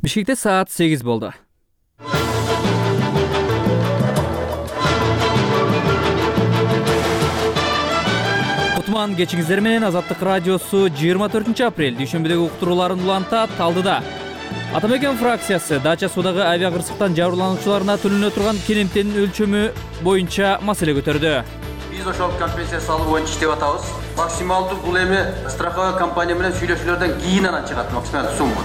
Бишкекте саат 8 болду. Кутман кечиңиздер менен Азаттык радиосу 24 апрель дүйшөмбүдөгү уктурууларын улантат. Талдыда Атамекен фракциясы Дача суудагы авиакырсыктан жабырлануучуларына төлөнө турган керемтенин өлчөмү боюнча маселе көтөрдү. Биз ошол компенсация салуу боюнча иштеп атабыз. Максималдуу бул эми страховой компания менен сүйлөшүүлөрдөн кийин анан чыгат максималдуу сумма.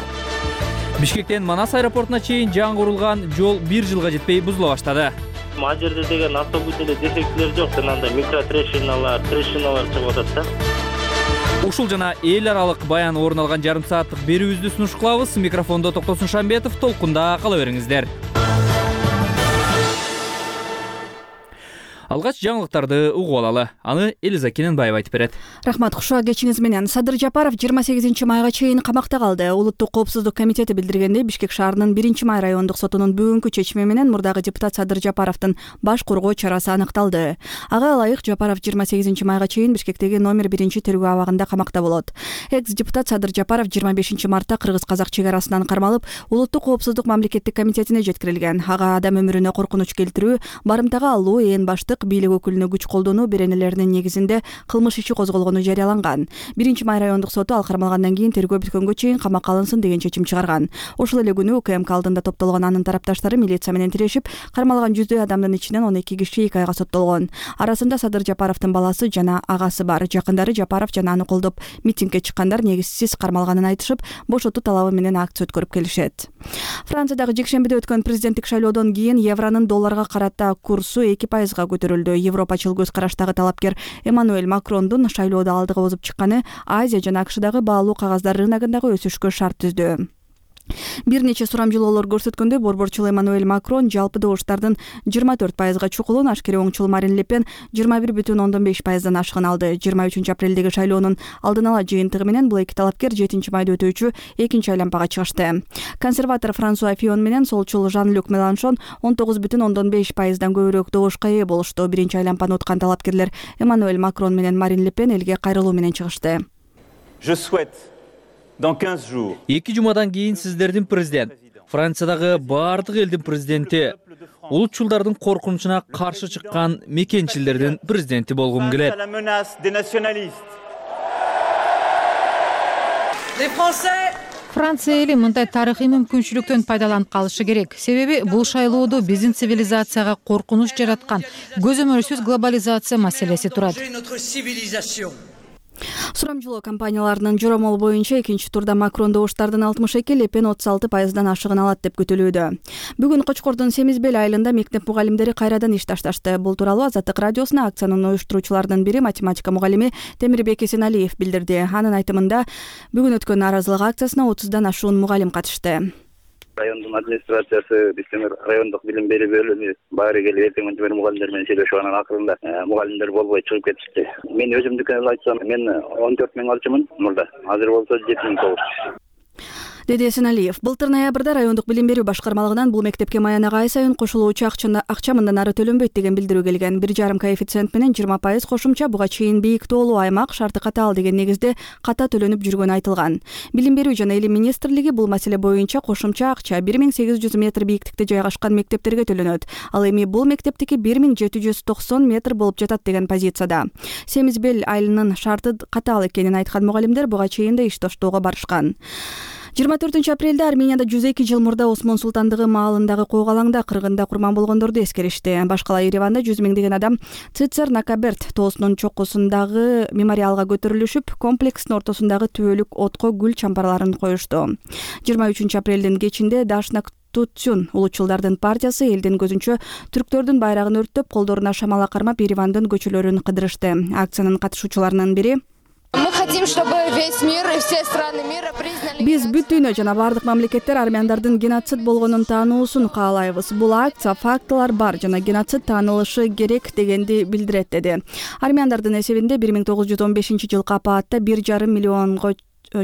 Бишкектен Манас аэропортуна чейин жаңы курулган жол 1 жылга жетпей бузула баштады. Ал жерде деген автобус эле дефектилер жок, анда микротрещиналар чыгып атат да. Ушул жана эл аралык баян орун алган жарым сааттык берүүбүздү сунуш кылабыз. Микрофондо Токтосун Шамбетов, толкунда кала бериңиздер. Алгач жаңылыктарды угуп алалы. Аны Элиза Кененбаева айтып берет. Рахмат, кушуа кечиңиз менен. Садыр Жапаров 28 майга чейин камакта калды. Улуттук коопсуздук комитети билдиргендей, Бишкек шаарынын 1 май райондук сотунун бүгүнкү чечими менен мурдагы депутат Садыр Жапаровдун баш коргоо чарасы аныкталды. Ага ылайык Жапаров 28 майга чейин Бишкектеги номер 1 тергөө абагында камакта болот. Экс-депутат Садыр Жапаров 25 мартта кыргыз-казак чек арасынан кармалып, Улуттук коопсуздук мамлекеттик комитетине жеткирилген. Ага адам өмүрүнө коркунуч келтирүү, барымтага алуу, ээн баштык бийлик өкүлүнө күч колдонуу беренелеринин негизинде кылмыш иши козголгону жарыяланган. 1 май райондук соту ал кармалгандан кийин тергөө бүткөнгө чейин камакка алынсын деген чечим чыгарган. Ошол эле күнү УКМК алдында топтолгон анын тарапташтары милиция менен тирешип, кармалган жүздөй адамдын ичинен 12 киши 2 айга соттолгон. Арасында Садыр Жапаровдун баласы жана агасы бар. Жакындары Жапаров жана аны колдоп митингге чыккандар негизсиз кармалганын айтышып, бошотуу талабы менен акция өткөрүп келишет. Франциядагы жекшембиде өткөн президенттик шайлоодон кийин евронун долларга карата курсу 2%га көтөрүлдү. Европачыл көз караштагы талапкер Эммануэль Макрондун шайлоодо алдыга озуп чыкканы Азия жана АКШдагы баалуу кагаздар рыногундагы өсүшкө шарт түздү. Бир нече сурамжылоолор көрсөткөндөй, борборчул Эммануэль Макрон жалпы добуштардын 24%га чукулун, ашкере оңчул Марин Ле Пен 21,5%дан ашыгын алды. 23 апрелдеги шайлоонун алдын ала жыйынтыгы менен бул эки талапкер 7 майда өтүүчү экинчи айланпага чыгышты. Консерватор Франсуа Фион менен солчул Жан-Люк Меланшон 19,5%дан көбүрөөк добушка ээ болушту. Биринчи айланпаны уткан талапкерлер Эммануэль Макрон менен Марин Ле Пен элге кайрылуу менен чыгышты. Dans 15 jours. 2 жумадан кийин сиздердин президент, Франциядагы баардык элдин президенти, улутчулдардын коркунучуна каршы чыккан мекенчилдердин президенти болгум келет. Франция эли мындай тарыхый мүмкүнчүлүктөн пайдаланып калышы керек. Себеби бул шайлоодо биздин цивилизацияга коркунуч жараткан көзөмөлсүз глобализация маселеси турат. Сурамжылоо компанияларынын жоромолу боюнча экинчи турда Макрон добуштардын 62, Ле Пен 36%дан ашыгын алат деп күтүлүүдө. Бүгүн Кочкордун Семизбел айылында мектеп мугалимдери кайрадан иш ташташты. Бул тууралуу Азаттык радиосуна акциянын уюштуруучуларынын бири математика мугалими Темирбек Эсеналиев билдирди. Анын айтымында бүгүн өткөн нааразылык акциясына 30дан ашуун мугалим катышты. Райондун администрациясы, биздин райондук билим берүү бөлүмү баары келип эртең менен мугалимдер менен сүйлөшүп анан акырында мугалимдер болбой чыгып кетишти. Мен өзүмдүкү айтсам, мен 14 миң алчумун мурда. Азыр болсо 7.900. Деди Эсеналиев. Былтыр ноябрда райондук билим берүү башкармалыгынан бул мектепке маянага ай сайын кошулуучу акча мындан ары төлөнбөйт деген билдирүү келген. 1,5 коэффициент менен 20% кошумча буга чейин бийик тоолуу аймак шарты катаал деген негизде ката төлөнүп жүргөнү айтылган. Билим берүү жана илим министрлиги бул маселе боюнча кошумча акча 1800 метр бийиктикте жайгашкан мектептерге төлөнөт. Ал эми бул мектептики 1790 метр болуп жатат деген позицияда. Семизбел айылынын шарты катаал экенин айткан мугалимдер буга чейин да иш таштоого барышкан. 24 апрелде Арменияда 102 жыл мурда Осмон султандыгы маалындагы койгалаңда кыргында курман болгондорду эскеришти. Башкала Ереванда 100 миңдеген адам Цицер Накаберт тоосунун чокусундагы мемориалга көтөрүлүшүп, комплекстин ортосундагы түбөлүк отко гүл чампарларын коюшту. 23 апрелдин кечинде Дашнак Тутсюн улутчулдардын партиясы элдин көзүнчө түрктөрдүн байрагын өрттөп, колдоруна шамала кармап Еревандын көчөлөрүн кыдырышты. Акциянын катышуучуларынын бири Биз бүт дүйнө жана бардык мамлекеттер армяндардын геноцид болгонун таануусун каалайбыз. Бул акция фактылар бар жана геноцид таанылышы керек дегенди билдирет, деди. Армяндардын эсебинде 1915 жылкы апаатта 1,5 миллионго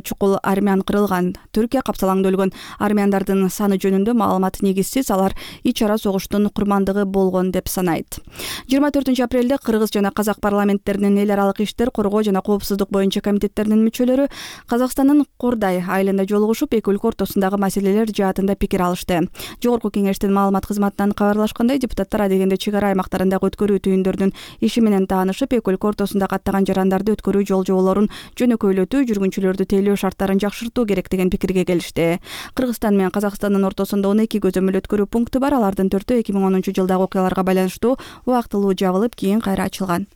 чукул армян кырылган. Түркия капсалаңда өлгөн армяндардын саны жөнүндө маалымат негизсиз, алар ич ара согуштун курмандыгы болгон деп санайт. 24 апрелде Кыргыз жана Казак парламенттеринин эл аралык иштер, коргоо жана коопсуздук боюнча комитеттеринин мүчөлөрү Казакстандын Кордай айылында жолугушуп, эки өлкө ортосундагы маселелер жаатында пикир алышты. Жогорку кеңештин маалымат кызматынан кабарлашкандай, депутаттар адегенде чек ара аймактарындагы өткөрүү түйүндөрүнүн иши менен таанышып, эки өлкө ортосунда каттаган жарандарды өткөрүү жол жоболорун жөнөкөйлөтүү, жүргүнчүлөрдү тейлөө шарттарын жакшыртуу керек деген пикирге келишти. Кыргызстан менен Казакстандын ортосунда 12 көзөмөл өткөрүү пункту бар. Алардын 4-өө 2010 жылдагы окуяларга байланыштуу убактылуу жабылып, кийин кайра ачылган.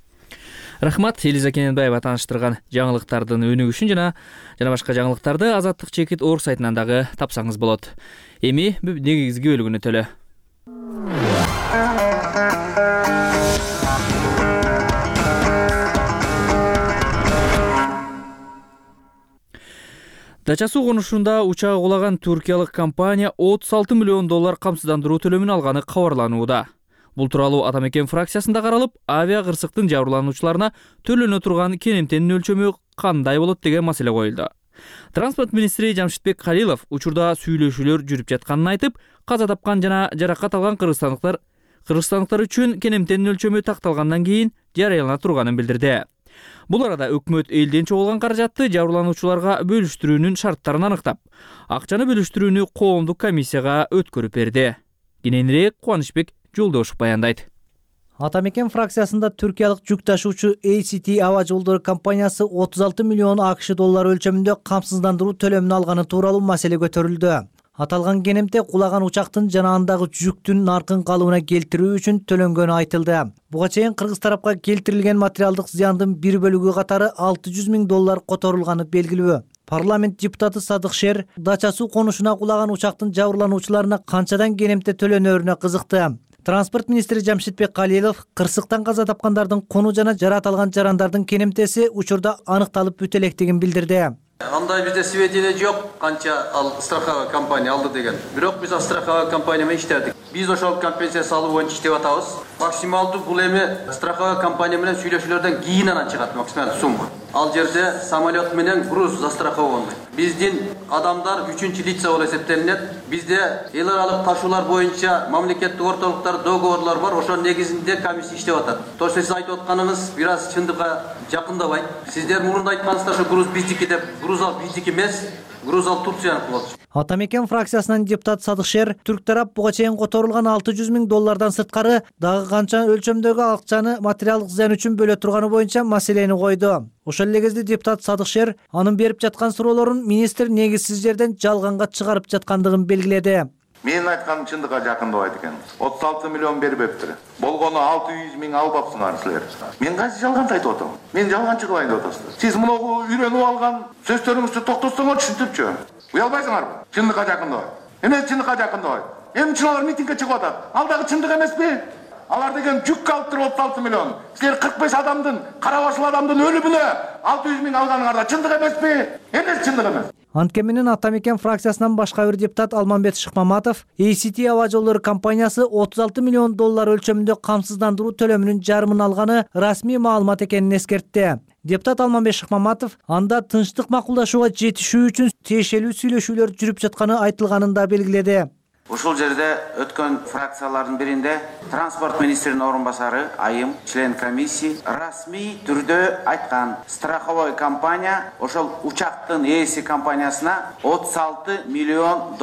Рахмат, Элиза Кененбаева тааныштырган жаңылыктардын өнүгүшүн жана башка жаңылыктарды Азаттык Чекит Орг сайтынан дагы тапсаңыз болот. Эми негизги бөлүгүнө төлө. Дача суу конушунда учагы кулаган туркиялык компания $36 миллион камсыздандыруу төлөмүн алганы кабарланууда. Бул тууралуу Атамекен фракциясында каралып, авиа кырсыктын жабырлануучуларына төлөнө турган керемтенин өлчөмү кандай болот деген маселе коюлду. Транспорт министри Жамшитбек Калилов учурда сүйлөшүүлөр жүрүп жатканын айтып, каза тапкан жана жаракат алган кыргызстандыктар үчүн керемтенин өлчөмү такталгандан кийин жарыялана турганын билдирди. Бул арада өкмөт элден чогулган каражатты жабырлануучуларга бөлүштүрүүнүн шарттарын аныктап, акчаны бөлүштүрүүнү коомдук комиссияга өткөрүп берди. Кененирээк Кубанычбек Жолдошов баяндайт. Атамекен фракциясында түркиялык жүк ташуучу ACT Ава жолдору компаниясы $36 миллион өлчөмүндө камсыздандыруу төлөмүн алганы тууралуу маселе көтөрүлдү. Аталган керемте кулаган учактын жана андагы жүктүн наркын калыбына келтирүү үчүн төлөнгөнү айтылды. Буга чейин кыргыз тарапка келтирилген материалдык зыяндын бир бөлүгү катары $600 миң которулганы белгилүү. Парламент депутаты Садык Шер дача суу конушуна кулаган учактын жабырлануучуларына канчадан керемте төлөнөрүнө кызыкты. Транспорт министри Жамшитбек Калилов кырсыктан каза тапкандардын кону жана жарат алган жарандардын керемтеси учурда аныкталып бүтө электигин билдирди. Андай бизде сведения жок, канча ал страховая компания алды деген. Бирок биз страховая компания менен иштедик. Биз ошол компенсация салуу боюнча иштеп атабыз. Максималдуу бул эми страховая компания менен сүйлөшүүлөрдөн кийин анан чыгат максималдуу сумма. Ал жерде самолет менен груз застрахованы. Биздин адамдар 3-чү лица болуп эсептелинет. Бизде эл аралык ташуулар боюнча мамлекеттик ортолуктар, договорлор бар. Ошонун негизинде комиссия иштеп атат. То есть сиз айтып атканыңыз бир аз чындыкка жакындабайт. Сиздер мурунда айткансыздар ошо груз биздики деп, груз ал биздики эмес. Груз ал Турцияныкы болчу. Атамекен фракциясынан депутат Садык Шер түрк тарап буга чейин которулган $600 миң сырткары дагы канча өлчөмдөгү акчаны материалдык зыян үчүн бөлө турганы боюнча маселени койду. Ошол эле кезде депутат Садык Шер анын берип жаткан суроолорун министр негизсиз жерден жалганга чыгарып жаткандыгын белгиледи. Менин айтканым чындыкка жакындабайт экен. 36 миллион бербептир. Болгону 600 миң албапсыңар силер. Мен кайсы жалганды айтып атам? Мен жалганчы кылайын деп атасыздар. Сиз муну үйрөнүп алган сөздөрүңүздү токтотсоңор түшүнтүпчү. Уялбайсыңарбы? Чындыкка жакындабайт. Эмне чындыкка жакындабайт? Эмчилер митингге чыгып атат. Ал дагы чындык эмеспи? Алар деген жүк алып туруп 36 миллион. Силер 45 адамдын, кара башыл адамдын өлүмүнө 600 миң алганыңарда чындык эмеспи? Эмне чындык эмес? Антке менен Атамекен фракциясынан башка бир депутат Алмамбет Шыкмаматов ACT Ава жолдору компаниясы $36 миллион өлчөмүндө камсыздандыруу төлөмүнүн жарымын алганы расмий маалымат экенин эскертти. Депутат Алмамбет Шыкмаматов анда тынчтык макулдашууга жетишүү үчүн тиешелүү сүйлөшүүлөр жүрүп жатканы айтылганын да белгиледи. Ушул жерде өткөн фракциялардын биринде транспорт министринин орун басары Айым, член комиссии расмий түрдө айткан, страховой компания ошол учактын ээси компаниясына $36 миллион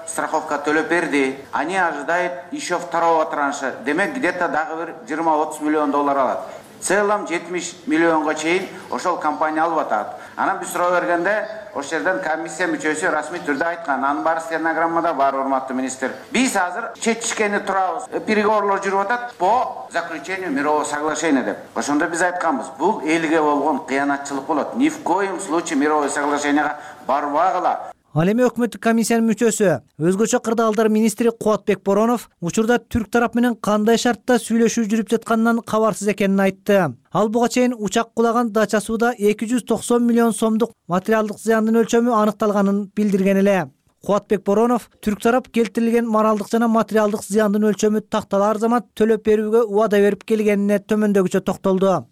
страховка төлөп берди. Они ожидают еще второго транша. Демек, где-то дагы бир 20-30 миллион алат. В целом 70 миллионго чейин ошол компания алып атат. Анан биз суроо бергенде ошол жерден комиссия мүчөсү расмий түрдө айткан. Анын баары стенограммада бар, урматтуу министр. Биз азыр чечишкени турабыз. Переговорлор жүрүп атат по заключению мирового соглашения деп. Ошондо биз айтканбыз, бул элге болгон кыянатчылык болот. Ни в коем случае мировое соглашениега барбагыла. Ал эми өкмөттүк комиссиянын мүчөсү, өзгөчө кырдаалдар министри Кубатбек Боронов учурда түрк тарап менен кандай шартта сүйлөшүү жүрүп жатканынан кабарсыз экенин айтты. Ал буга чейин учак кулаган дача сууда 290 миллион сомдук материалдык зыяндын өлчөмү аныкталганын билдирген эле. Кубатбек Боронов түрк тарап келтирилген моралдык жана материалдык зыяндын өлчөмү такталар замат төлөп берүүгө убада берип келгенине төмөндөгүчө токтолду.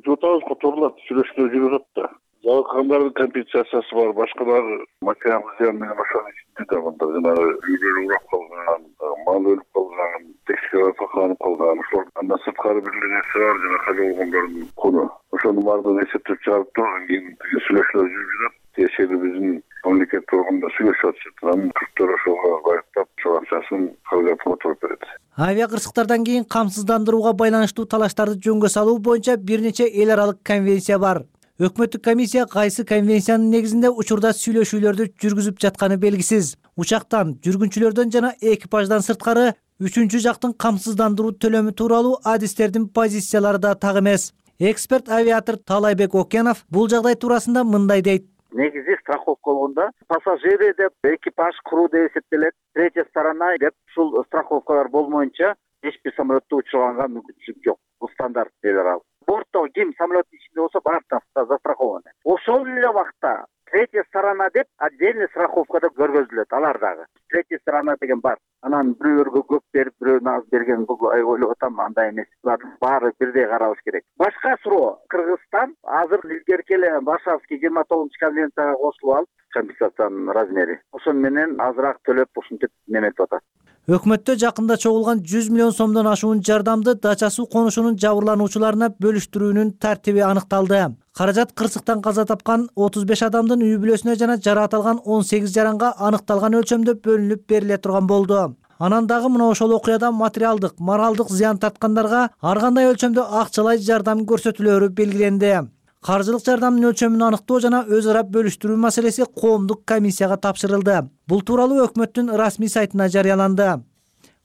Жотабыз которулат, сүйлөшүүлөр жүрүп атат. Жабыркагандардын компенсациясы бар, башкалар материалдык зыян менен ошонун ичинде да мындай жанагы үйлөрү урап калган, мал өлүп калган, экскаватор сакаланып калган, ошол андан сырткары бир эле нерсе бар, жана кайда болгондордун куну. Ошонун баардыгын эсептеп чыгарып турган кийин сүйлөшүүлөр жүрүп жатат. Тиешелүү биздин мамлекет органында сүйлөшүп атышат. Анын түрктөр ошого байыптап ошол акчасын кабылдап отуруп берет. Авиа кырсыктардан кийин камсыздандырууга байланыштуу талаштарды жөнгө салуу боюнча бир нече эл аралык конвенция бар. Өкмөттүк комиссия кайсы конвенциянын негизинде учурда сүйлөшүүлөрдү жүргүзүп жатканы белгисиз. Учактан, жүргүнчүлөрдөн жана экипаждан сырткары үчүнчү жактын камсыздандыруу төлөмү тууралуу адистердин позициялары да так эмес. Эксперт авиатор Талайбек Окенов бул жагдай туурасында мындай дейт. Негизи страховка болгондо пассажиры деп, экипаж, кру деп эсептелет. Третья сторона деп ушул страховкалар болмоюнча эч бир самолетто учурганга мүмкүнчүлүк жок. Бул стандарт эл аралык. Бортто ким самолеттин ичинде болсо баардыгы застрахованы. Ошол эле убакта третья сторона деп отдельный страховкада көргөзүлөт алар дагы. Третья сторона деген бар. Анан бирөөлөргө көп берип, бирөөнө аз берген бул ойлоп атам, андай эмес. Булардын баары бирдей каралыш керек. Башка суроо, Кыргызстан азыр илгерки эле Варшавский 29-конвенцияга кошулуп алып, компенсациянын размери. Ошон менен азыраак төлөп ушинтип неметип атат. Өкмөттө жакында чогулган 100 миллион сомдон ашуун жардамды Дача суу конушунун жабырлануучуларына бөлүштүрүүнүн тартиби аныкталды. Каражат кырсыктан каза тапкан 35 адамдын үй бүлөсүнө жана жаракат алган 18 жаранга аныкталган өлчөмдө бөлүнүп бериле турган болду. Анан дагы мына ошол окуяда материалдык, моралдык зыян тарткандарга ар кандай өлчөмдө акчалай жардам көрсөтүлөрү белгиленди. Каржылык жардамдын өлчөмүн аныктоо жана өз ара бөлүштүрүү маселеси коомдук комиссияга тапшырылды. Бул тууралуу өкмөттүн расмий сайтына жарыяланды.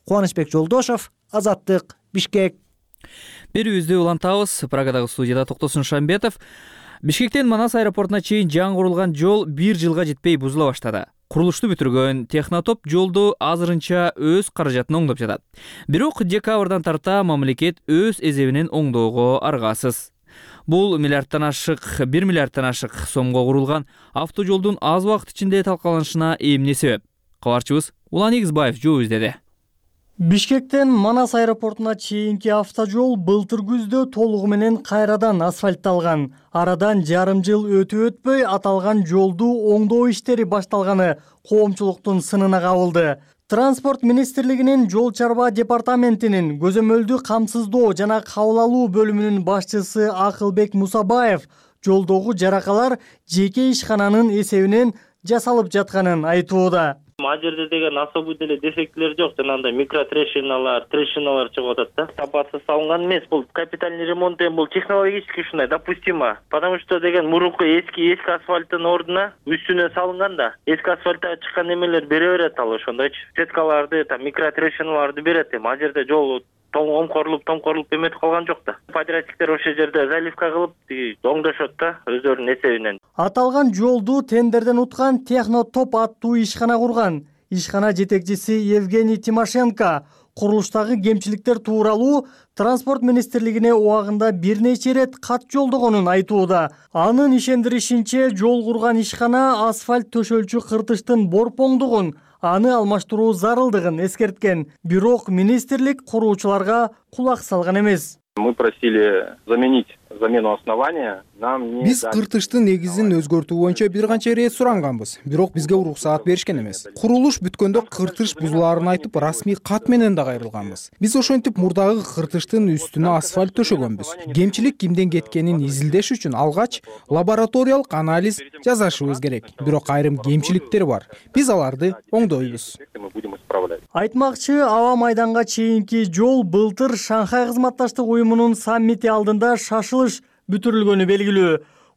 Кубанычбек Жолдошов, Азаттык, Бишкек. Берүүбүздү улантабыз. Прагадагы студияда Токтосун Шамбетов. Бишкектен Манас аэропортуна чейин жаңы курулган жол 1 жылга жетпей бузула баштады. Курулушту бүтүргөн Технотоп жолду азырынча өз каражатына оңдоп жатат. Бирок декабрдан тарта мамлекет өз эсебинен оңдоого аргасыз. Бул 1 миллиардтан ашык сомго курулган автожолдун аз убакыт ичинде талкаланышына эмне себеп? Кабарчыбыз Улан Игизбаев жооп издеди. Бишкектен Манас аэропортуна чейинки автожол былтыр күздө толугу менен кайрадан асфальтталган. Арадан жарым жыл өтөй аталган жолду оңдоо иштери башталганы коомчулуктун сынына кабылды. Транспорт министрлигинин жол чарба департаментинин көзөмөлдү камсыздоо жана кабыл алуу бөлүмүнүн башчысы Акылбек Мусабаев жолдогу жаракалар жеке ишкананын эсебинен жасалып жатканын айтууда. Ал жерде деген особый деле дефектилер жок, жанагындай микротрещиналар чыгып атат да. Сапатсыз салынган эмес, бул капитальный ремонт эми бул технологически ушундай допустимо. Потому что деген мурунку эски асфальттын ордуна үстүнө салынган да. Эски асфальттан чыккан эмелер бере берет ал ошондойчу. Сеткаларды, микротрещиналарды берет. Ал жерде жол томкорулуп эметип калган жок да. Подрядчиктер ошол жерде заливка кылып оңдошот да өздөрүнүн эсебинен. Аталган жолду тендерден уткан Технотоп аттуу ишкана курган. Ишкана жетекчиси Евгений Тимошенко курулуштагы кемчиликтер тууралуу транспорт министрлигине убагында бир нече ирет кат жолдогонун айтууда. Анын ишендиришинче, жол курган ишкана асфальт төшөлчү кыртыштын борпоңдугун, аны алмаштыруу зарылдыгын эскерткен. Бирок министрлик куруучуларга кулак салган эмес. Мы просили заменить замену основания. Биз кыртыштын негизин өзгөртүү боюнча бир канча ирет суранганбыз, бирок бизге уруксаат беришкен эмес. Курулуш бүткөндө кыртыш бузулаарын айтып, расмий кат менен да кайрылганбыз. Биз ошентип мурдагы кыртыштын үстүнө асфальт төшөгөнбүз. Кемчилик кимден кеткенин изилдеш үчүн алгач лабораториялык анализ жасашыбыз керек. Бирок айрым кемчиликтер бар. Биз аларды оңдойбуз. Айтмакчы, аба майданга чейинки жол былтыр Шанхай кызматташтык уюмунун саммити алдында шашылыш бүтүрүлгөнү белгилүү.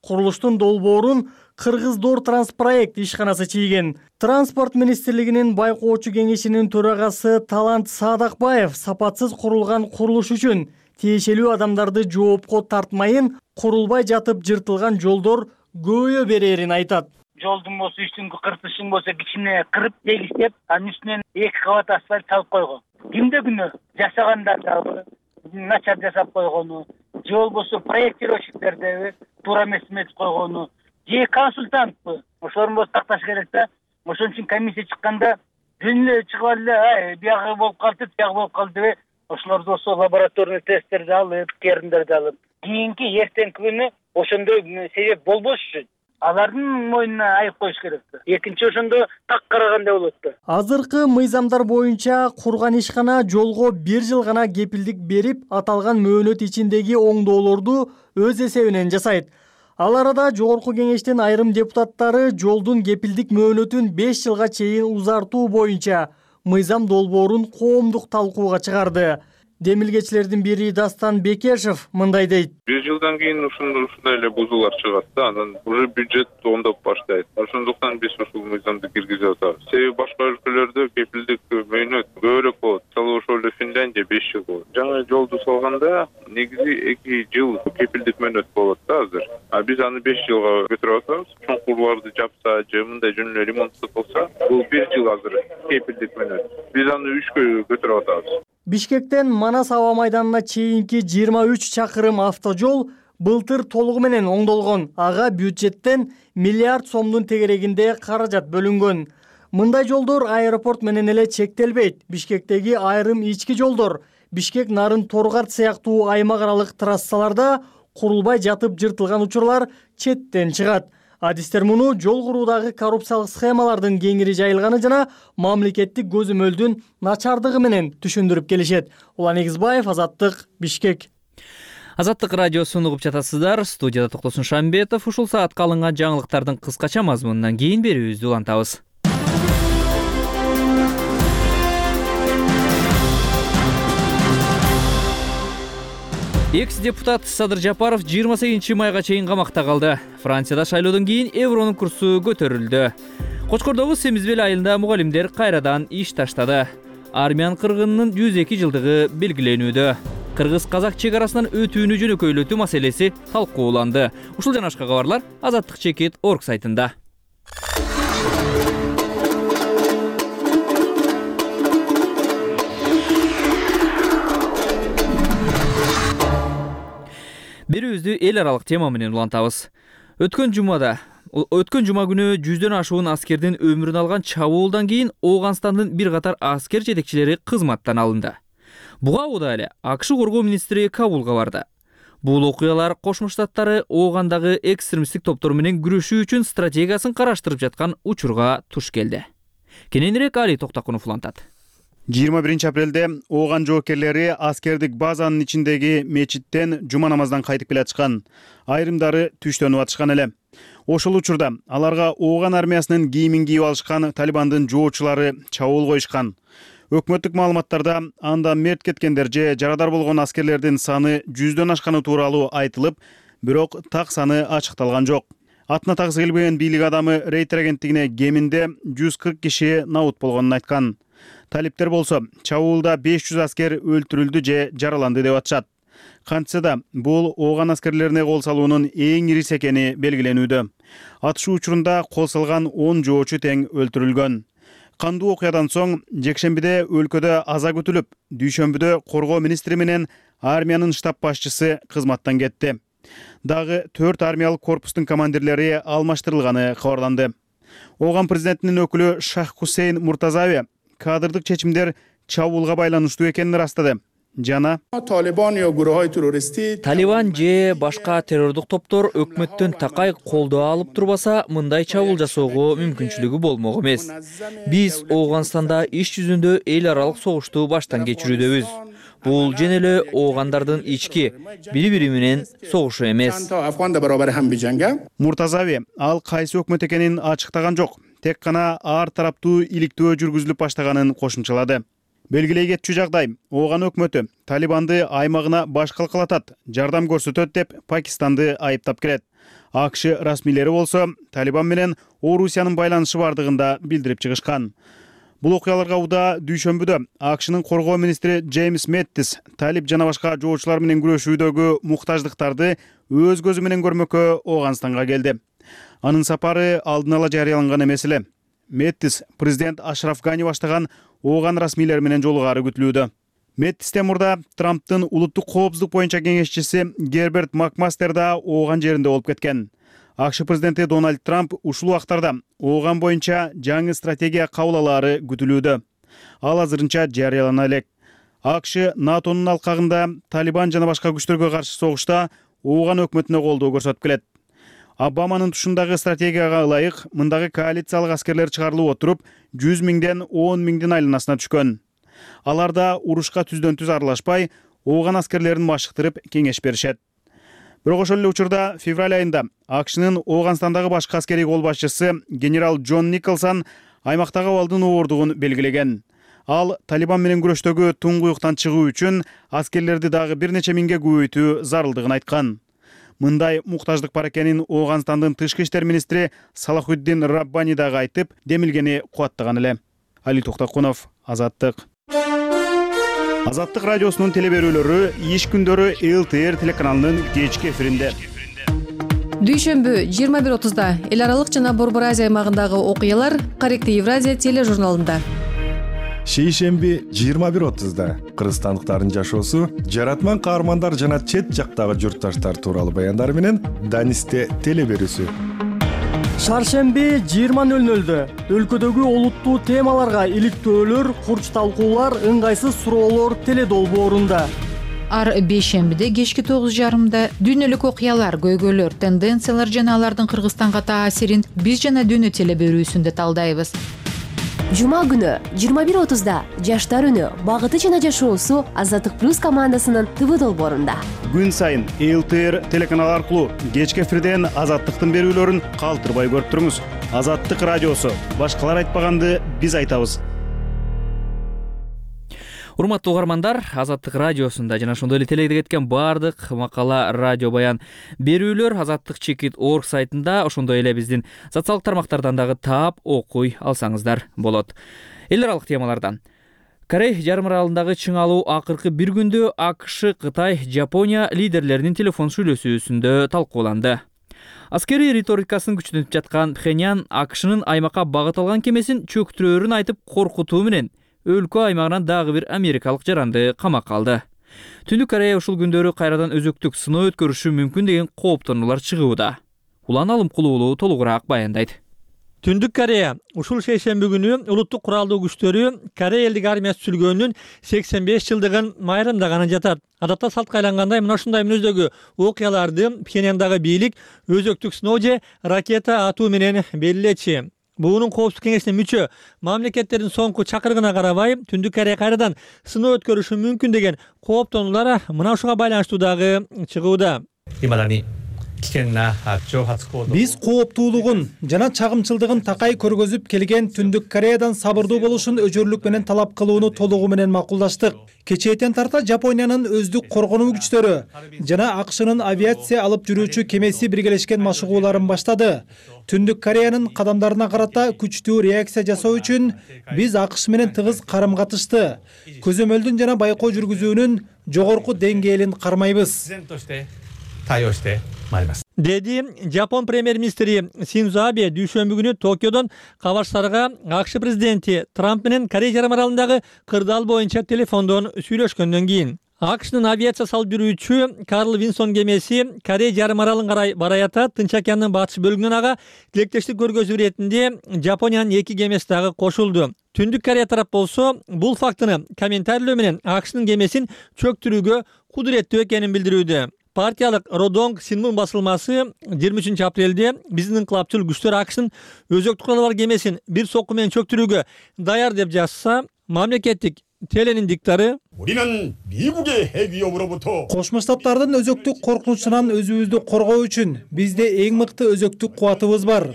Курулуштун долбоорун Кыргыз Дор Транспроект ишканасы чийген. Транспорт министрлигинин байкоочу кеңешинин төрагасы Талант Садакбаев сапатсыз курулган курулуш үчүн тиешелүү адамдарды жоопко тартмайын, курулбай жатып жыртылган жолдор көбөйө берерин айтат. Жолдун болсо үстүңкү кыртышын болсо кичине кырып тегиштеп, анын үстүнөн 2 кабат асфальт салып койгон. Кимде күнөө? Жашагандар дагы начар жасап койгону, же болбосо проектировщиктердеби туура эмес эметип койгону, же консультантпы. Ошолорун болсо такташ керек да. Ошон үчүн комиссия чыкканда дүн эле чыгып алды, биягы болуп калды, биягы болуп калды деп, ошолорду болсо лабораторный тесттерди алып, керимдерди алып, кийинки эртеңки күнү ошондой себеп болбош үчүн алардын мойнуна айып коюш керек да. Экинчи ошондо так караганда болот да. Азыркы мыйзамдар боюнча курган ишкана жолго 1 жыл гана кепилдик берип, аталган мөөнөт ичиндеги оңдоолорду өз эсебинен жасайт. Ал арада жогорку кеңештин айрым депутаттары жолдун кепилдик мөөнөтүн 5 жылга чейин узартуу боюнча мыйзам долбоорун коомдук талкууга чыгарды. Демилгечилердин бири Дастан Бекешев мындай дейт. 1 жылдан кийин ушундай эле бузуулар чыгат да, анан уже бюджет оңдоп баштайт. Ошондуктан биз ушул мыйзамды киргизип атабыз. Себеби башка өлкөлөрдө кепилдик мөөнөт көбүрөөк болот. Мисалы ошол эле Финляндия 5 жыл болот. Жаңы жолду салганда негизи 2 жыл кепилдик мөөнөт болот да азыр. А биз аны 5 жылга көтөрүп атабыз. Чоңкурларды жапса же мындай жөн эле ремонтту кылса, бул 1 жыл азыр кепилдик мөөнөт. Биз аны 3кө көтөрүп атабыз. Бишкектен Манас аба майданына чейинки 23 чакырым автожол былтыр толугу менен оңдолгон. Ага бюджеттен миллиард сомдун тегерегинде каражат бөлүнгөн. Мындай жолдор аэропорт менен эле чектелбейт. Бишкектеги айрым ички жолдор, Бишкек Нарын Торгарт сыяктуу аймак аралык трассаларда курулбай жатып жыртылган учурлар четтен чыгат. Адистер муну жол куруудагы коррупциялык схемалардын кеңири жайылганы жана мамлекеттик көзөмөлдүн начардыгы менен түшүндүрүп келишет. Улан Эгизбаев, Азаттык, Бишкек. Азаттык радиосун угуп жатасыздар. Студияда Токтосун Шамбетов. Ушул саатка алынган жаңылыктардын кыскача мазмунунан кийин берүүбүздү улантабыз. Экс-депутат Садыр Жапаров 28 майга чейин камакта калды. Францияда шайлоодон кийин евронун курсу көтөрүлдү. Кочкордогу Семизбел айылында мугалимдер кайрадан иш таштады. Армян кыргынынын 102 жылдыгы белгиленүүдө. Кыргыз-казак чек арасынан өтүүнү жөнөкөйлөтүү маселеси талкууланды. Ушул жана башка кабарлар Азаттык чекит орг сайтында. Берүүбүздү эл аралык тема менен улантабыз. Өткөн жума күнү 100дөн ашуун аскердин өмүрүн алган чабуулдан кийин Ооганстандын бир катар аскер жетекчилери кызматтан алынды. Буга убада эле АКШ коргоо министри Кабулга барды. Бул окуялар Кошмо Штаттары Оогандагы экстремисттик топтор менен күрөшүү үчүн стратегиясын караштырып жаткан учурга туш келди. Кененирээк Али Токтакунов улантат. 21 апрелде Ооган жоокерлери аскердик базанын ичиндеги мечиттен жума намаздан кайтып келе жатышкан. Айрымдары түштөнүп атышкан эле. Ошол учурда аларга Ооган армиясынын кийимин кийип алышкан Талибандын жоочулары чабуул коюшкан. Өкмөттүк маалыматтарда анда мерт кеткендер же жарадар болгон аскерлердин саны 100дөн ашканы тууралуу айтылып, бирок так саны ачыкталган жок. Атына тагысы келбеген бийлик адамы Рейтер агенттигине кеминде 140 киши набут болгонун айткан. Талиптер болсо чабуулда 500 аскер өлтүрүлдү же жараланды деп атышат. Кантса да бул Ооган аскерлерине кол салуунун эң ирис экени белгиленүүдө. Атышуу учурунда кол салган 10 жоочу тең өлтүрүлгөн. Кандуу окуядан соң жекшембиде өлкөдө аза күтүлүп, дүйшөмбүдө коргоо министри менен армиянын штаб башчысы кызматтан кетти. Дагы 4 армиялык корпустун командирлери алмаштырылганы кабарланды. Ооган президентинин өкүлү Шах Хусейн Муртазави кадрдык чечимдер чабуулга байланыштуу экенин ырастады. Жана Талибан же башка террордук топтор өкмөттөн такай колдоо алып турбаса, мындай чабуул жасоого мүмкүнчүлүгү болмок эмес. Биз Ооганстанда иш жүзүндө эл аралык согушту баштан кечирүүдөбүз. Бул жөн эле оогандардын ички бири-бири менен согушу эмес. Муртазави ал кайсы өкмөт экенин ачыктаган жок. Тек гана ар тараптуу иликтөө жүргүзүлүп баштаганын кошумчалады. Белгилей кетчү жагдай, Ооган өкмөтү Талибанды аймагына баш калкалатат, жардам көрсөтөт деп Пакистанды айыптап келет. АКШ расмийлери болсо Талибан менен Орусиянын байланышы бардыгында билдирип чыгышкан. Бул окуяларга уда дүйшөмбүдө АКШнын коргоо министри Джеймс Мэттис талип жана башка жоочулар менен күрөшүүдөгү муктаждыктарды өз көзү менен көрмөккө Ооганстанга келди. Анын сапары алдын ала жарыяланган эмес эле. Мэттис президент Ашраф Гани баштаган Ооган расмийлери менен жолугаары күтүлүүдө. Мэттистен мурда Трамптын улуттук коопсуздук боюнча кеңешчиси Герберт Макмастер да Ооган жеринде болуп кеткен. АКШ президенти Дональд Трамп ушул убактарда Ооган боюнча жаңы стратегия кабыл алаары күтүлүүдө. Ал азырынча жарыялана элек. АКШ НАТОнун алкагында Талибан жана башка күчтөргө каршы согушта Ооган өкмөтүнө колдоо көрсөтүп келет. Обаманын тушундагы стратегияга ылайык мындагы коалициялык аскерлер чыгарылып отуруп 100 миңден 10 миңдин айланасына түшкөн. Алар да урушка түздөн түз аралашпай, ооган аскерлерин машыктырып кеңеш беришет. Бирок ошол эле учурда февраль айында АКШнын Ооганстандагы башкы аскерий кол башчысы генерал Джон Николсон аймактагы абалдын оордугун белгилеген. Ал Талибан менен күрөштөгү туңгуюктан чыгуу үчүн аскерлерди дагы бир нече миңге көбөйтүү зарылдыгын айткан. Мындай муктаждык бар экенин Ооганстандын тышкы иштер министри Салахуддин Раббани дагы айтып, демилгени кубаттаган эле. Али Токтокунов, Азаттык. Азаттык радиосунун телеберүүлөрү иш күндөрү ЛТР телеканалынын кечки эфиринде. Дүйшөмбү 21:30-да эл аралык жана Борбор Азия аймагындагы окуялар Корректив Евразия тележурналында. Шейшемби 21:30-да кыргызстандыктардын жашоосу, жаратман каармандар жана чет жактагы журтташтар тууралуу баяндар менен Данисте телеберүүсү. Шаршемби 20:00-дө өлкөдөгү олуттуу темаларга иликтөөлөр, курч талкуулар, ыңгайсыз суроолор теледолбоорунда. Ар бейшембиде кечки 9:30-да дүйнөлүк окуялар, көйгөйлөр, тенденциялар жана алардын Кыргызстанга таасирин биз жана дүйнө телеберүүсүндө талдайбыз. Жума күнү 21:30-да Жаштар үнү, багыты жана жашоосу Азаттык плюс командасынын ТВ долбоорунда. Күн сайын ЛТР телеканалы аркылуу кечки эфирден Азаттыктын берүүлөрүн калтырбай көрүп туруңуз. Азаттык радиосу. Башкалар айтпаганды биз айтабыз. Урматтуу угармандар, Азаттык радиосунда жана ошондой эле теледе кеткен баардык макала, радио баян берүүлөр azattik.org сайтында, ошондой эле биздин социалдык тармактардан дагы таап окуй алсаңыздар болот. Эл аралык темалардан Корей жарым аралындагы чыңалуу акыркы бир күндө АКШ, Кытай, Жапония лидерлеринин телефон сүйлөшүүсүндө талкууланды. Аскерий риторикасын күчтөнүп жаткан Пхеньян АКШнын аймакка багыт алган кемесин чөктүрөөрүн айтып коркутуу менен өлкө аймагынан дагы бир америкалык жаранды камакка алды. Түндүк Корея ушул күндөрү кайрадан өзөктүк сыноо өткөрүшү мүмкүн деген кооптонуулар чыгууда. Улан Алымкул уулу толугураак баяндайт. Түндүк Корея ушул шейшемби күнү улуттук куралдуу күчтөрү Корея элдик армиясы түзүлгөнүнүн 85 жылдыгын майрамдаганы жатат. Адатта салтка айлангандай мына ушундай мүнөздөгү окуяларды Пхеньяндагы бийлик өзөктүк сыноо же ракета атуу менен белгилечи. Буунун коопсуздук кеңешине мүчө мамлекеттердин соңку чакырыгына карабай Түндүк Корея кайрадан сыноо өткөрүшү мүмкүн деген кооптонуулар мына ушуга байланыштуу дагы чыгууда. Биз кооптуулугун жана чагымчылдыгын такай көргөзүп келген Түндүк Кореядан сабырдуу болушун өчөрлүк менен талап кылууну толугу менен макулдаштык. Кечээттен тарта Жапониянын өздүк коргонуу күчтөрү жана АКШнын авиация алып жүрүүчү кемеси биргелешкен машыгууларын баштады. Түндүк Кореянын кадамдарына карата күчтүү реакция жасоо үчүн биз АКШ менен тыгыз карым-катышты. Көзөмөлдүн жана байкоо жүргүзүүнүн жогорку деңгээлин кармайбыз. Деди Жапон премьер-министри Синдзо Абе дүйшөмбү күнү Токиодон кабарчыларга АКШ президенти Трамп менен Корея жарым аралындагы кырдаал боюнча телефондон сүйлөшкөндөн кийин. АКШнын авиация салып жүрүүчү Карл Винсон кемеси Корея жарым аралын карай барай атат. Тынч океандын батыш бөлүгүнөн ага тилектештик көргөзүү иретинде Жапониянын 2 кемеси дагы кошулду. Түндүк Корея тарап болсо бул фактыны комментарийлөө менен АКШнын кемесин чөктүрүүгө кудуреттүү экенин билдирүүдө. Партиялык Родонг Синмун басылмасы 23 апрелде биздин инкылапчыл күчтөр АКШнын өзөктүк куралы бар кемесин бир сокку менен чөктүрүүгө даяр деп жазса, мамлекеттик теленин диктары Кошмо Штаттардын өзөктүк коркунучунан өзүбүздү коргоо үчүн бизде эң мыкты өзөктүк кубатыбыз бар.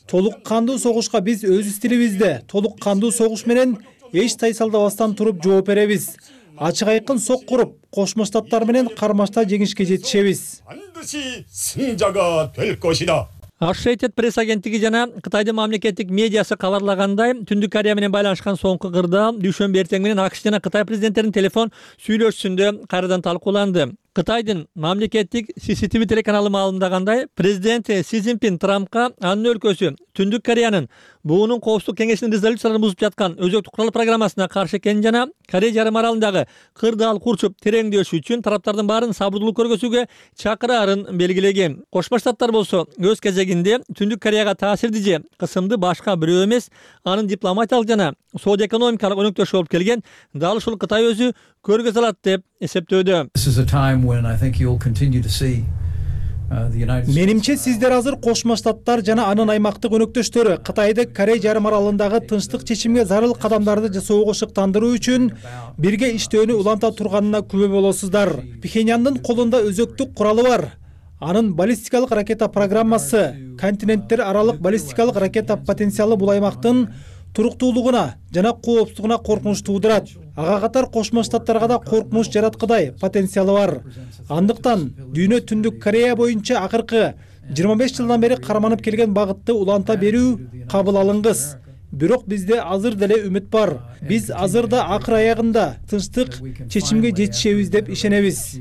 Толук кандуу согушка биз өз стилибизде толук кандуу согуш менен эч тайсалдабастан туруп жооп беребиз. Ачык айкын сок куруп, Кошмо Штаттар менен кармашта жеңишке жетишебиз. Associated Press агенттиги жана Кытайдын мамлекеттик медиасы кабарлагандай, Түндүк Корея менен байланышкан соңку кырдаал дүйшөмбү эртең менен АКШ жана Кытай президенттеринин телефон сүйлөшүүсүндө кайрадан талкууланды. Кытайдын мамлекеттик CCTV телеканалы маалымдагандай, президент Си Цзиньпин Трампка анын өлкөсү Түндүк Кореянын буунун коопсуздук кеңешинин резолюцияларын бузуп жаткан өзөктүк курал программасына каршы экенин жана Корея жарым аралындагы кырдаал курчуп тереңдөшү үчүн тараптардын баарын сабырдуулук көргөзүүгө чакыраарын белгилеген. Кошмо Штаттар болсо өз кезегинде Түндүк Кореяга таасирди же кысымды башка бирөө эмес, анын дипломатиялык жана соода экономикалык өнөктөшү болуп келген дал ушул Кытай өзү көргөзө алат деп эсептөөдө. Менимче сиздер азыр Кошмо Штаттар жана анын аймактык өнөктөштөрү Кытайды Корей жарым аралындагы тынчтык чечимге зарыл кадамдарды жасоого шыктандыруу үчүн бирге иштөөнү уланта турганына күбө болосуздар. Пхеньяндын колунда өзөктүк куралы бар. Анын баллистикалык ракета программасы континенттер аралык баллистикалык ракета потенциалы бул аймактын туруктуулугуна жана коопсуздугуна коркунуч туудурат. Ага катар Кошмо Штаттарга да коркунуч жараткыдай потенциалы бар. Андыктан Дүйнө Түндүк Корея боюнча акыркы 25 жылдан бери карманып келген багытты уланта берүү кабыл алыңыз. Бирок бизде азыр деле үмүт бар. Биз азыр да акыр аягында тынчтык чечимге жетишебиз деп ишенебиз.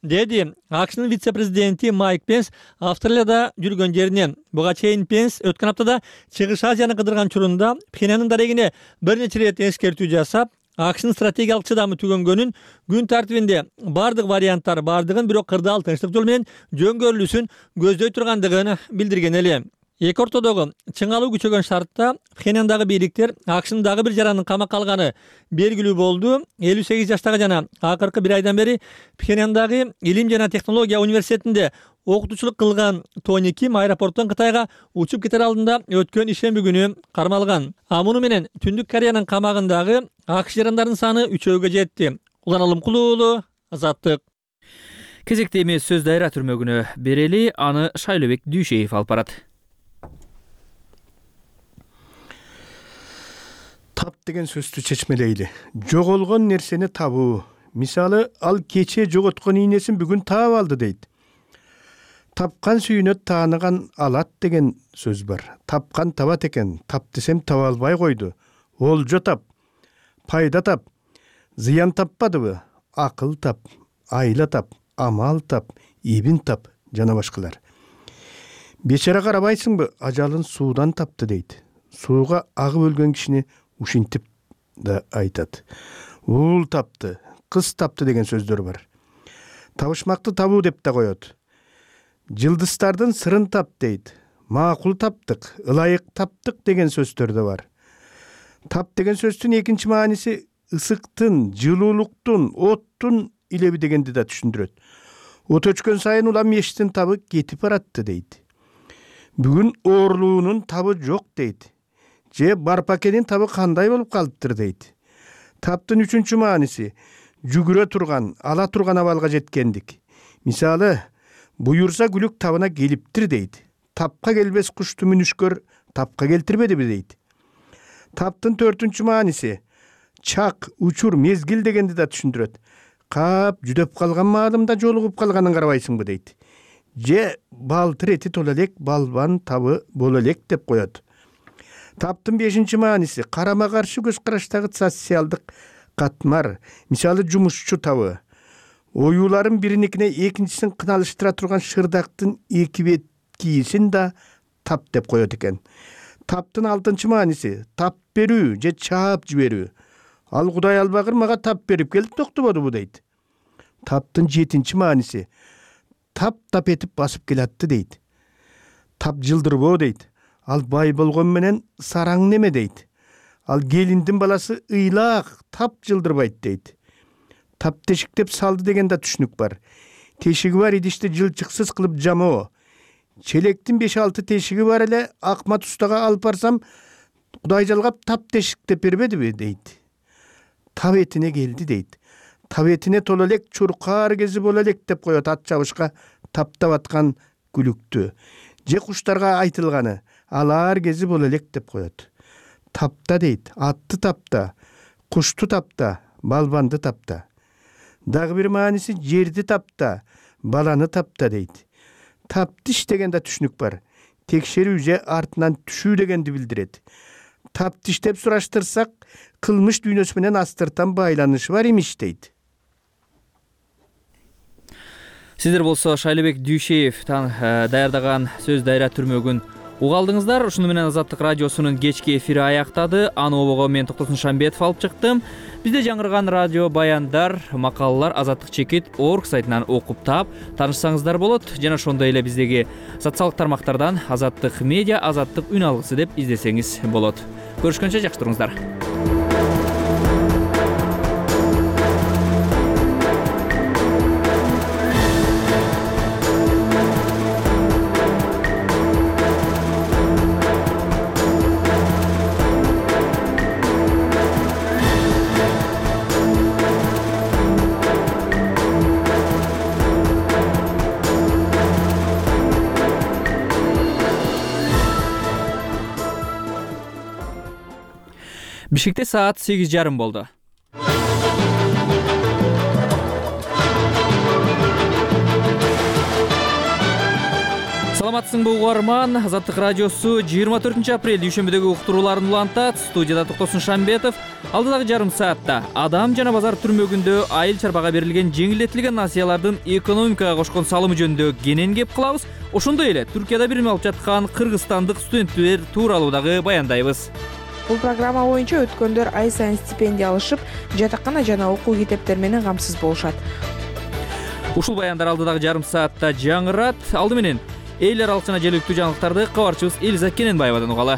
Деди АКШнын вице-президенти Майк Пенс Австралияда жүргөн жеринен. Буга чейин Пенс өткөн аптада Чыгыш Азияны кыдырган учурунда Пхеньяндын дарегине бир нече рет эскертүү жасап, АКШнын стратегиялык чыдамы түгөнгөнүн, күн тартибинде бардык варианттар бардыгын, бирок кырдаал тынчтык жол менен жөнгөрүлүүсүн көздөй тургандыгын билдирген эле. Эки ортодогу чыңалуу күчөгөн шартта Пхеньяндагы бийликтер АКШнын дагы бир жаранын камакка алганы белгилүү болду. 58 жаштагы жана акыркы бир айдан бери Пхеньяндагы Илим жана технология университетинде окутуучулук кылган Тони Ким аэропорттон Кытайга учуп кетер алдында өткөн ишемби күнү кармалган. Муну менен Түндүк Кореянын камагындагы АКШ жарандарынын саны 3-гө жетти. Улан Алымкулуу, Азаттык. Кезекте эмес сөз дайра түрмөгүнө берели, аны Шайлобек Дүйшеев алып барат. Тап деген сөздү чечмелейли. Жоголгон нерсени табуу. Мисалы, ал кече жоготкон ийнесин бүгүн таап алды дейт. Тапкан сүйүнө тааныган алат деген сөз бар. Тапкан табат экен, тап десем таба албай койду. Олжо тап, пайда тап, зыян таппадыбы? Акыл тап, айла тап, амал тап, ибин тап жана башкалар. Бечара карабайсыңбы, ажалын суудан тапты дейт. Сууга агып өлгөн кишини ушинтип да айтат. Уул тапты, кыз тапты деген сөздөр бар. Табышмакты табуу деп да коет. Жылдыздардын сырын тап дейт. Макул таптык, ылайык таптык деген сөздөр да бар. Тап деген сөздүн экинчи мааниси ысыктын, жылуулуктун, оттун илеби дегенди да түшүндүрөт. От өчкөн сайын улам мештин табы кетип баратты дейт. Бүгүн оорлуунун табы жок дейт. Же барпакенин табы кандай болуп калыптыр дейт. Таптын үчүнчү мааниси жүгүрө турган, ала турган абалга жеткендик. Мисалы, буюрса күлүк табына келиптир дейт. Тапка келбес кушту мүнүшкөр тапка келтирбедиби дейт. Таптын төртүнчү мааниси чак, учур, мезгил дегенди да түшүндүрөт. Кап жүдөп калган маалымда жолугуп калганын карабайсыңбы дейт. Же балтыр эти тола элек, балбан табы боло элек деп коет. Таптын бешинчи мааниси карама каршы көз караштагы социалдык катмар. Мисалы, жумушчу табы. Оюларын бириникине экинчисин кыналыштыра турган шырдактын эки бет кийисин да тап деп коет экен. Таптын алтынчы мааниси тап берүү же чаап жиберүү. Ал Кудай албагыр мага тап берип келип токтободубу дейт. Таптын жетинчи мааниси тап этип басып келатты дейт. Тап жылдырбоо дейт. Ал бай болгон менен сараң неме дейт. Ал келиндин баласы ыйлаак, тап жылдырбайт дейт. Тап тешиктеп салды деген да түшүнүк бар. Тешиги бар идишти жылчыксыз кылып жамоо. Челектин 5-6 тешиги бар эле, Акмат устага алып барсам, Кудай жалгап тап тешиктеп бербедиби дейт. Тап этине келди дейт. Тап этине тола элек чуркаар кези боло элек деп коет ат чабышка таптап аткан күлүктү. Же куштарга айтылганы алар кези боло элек деп коет. Тапта дейт, атты тапта, кушту тапта, балбанды тапта. Дагы бир мааниси жерди тапта, баланы тапта дейт. Таптиш деген да түшүнүк бар. Текшерүү же артынан түшүү дегенди билдирет. Таптиш деп сураштырсак, кылмыш дүйнөсү менен астыртан байланышы бар имиш дейт. Сиздер болсо Шайлобек Дүйшеев даярдаган сөз дайра түрмөгүн угалдыңыздар. Ушуну менен Азаттык радиосунун кечки эфири аяктады. Аны обого мен Токтосун Шамбетов алып чыктым. Бизде жаңырган радио баяндар, макалалар Азаттык чекит org сайтынан окуп таап таанышсаңыздар болот. Жана ошондой эле биздеги социалдык тармактардан Азаттык медиа, Азаттык үн алгысы деп издесеңиз болот. Көрүшкөнчө жакшы туруңуздар. Бишкекте саат 8:30 болду. Саламатсыңбы угарман? Азаттык радиосу 24 апрель дүйшөмбүдөгү уктурууларын улантат. Студияда Токтосун Шамбетов. Алдыдагы жарым саатта Адам жана базар түрмөгүндө айыл чарбага берилген жеңилдетилген насыялардын экономикага кошкон салымы жөнүндө кенен кеп кылабыз. Ошондой эле Түркияда билим алып жаткан кыргызстандык студенттер тууралуу дагы баяндайбыз. Бул программа боюнча өткөндөр ай сайын стипендия алышып, жатакана жана окуу китептер менен камсыз болушат. Ушул баяндар алдыдагы жарым саатта жаңырат. Алды менен эл аралык жана желектүү жаңылыктарды кабарчыбыз Элиза Кененбаевадан угалы.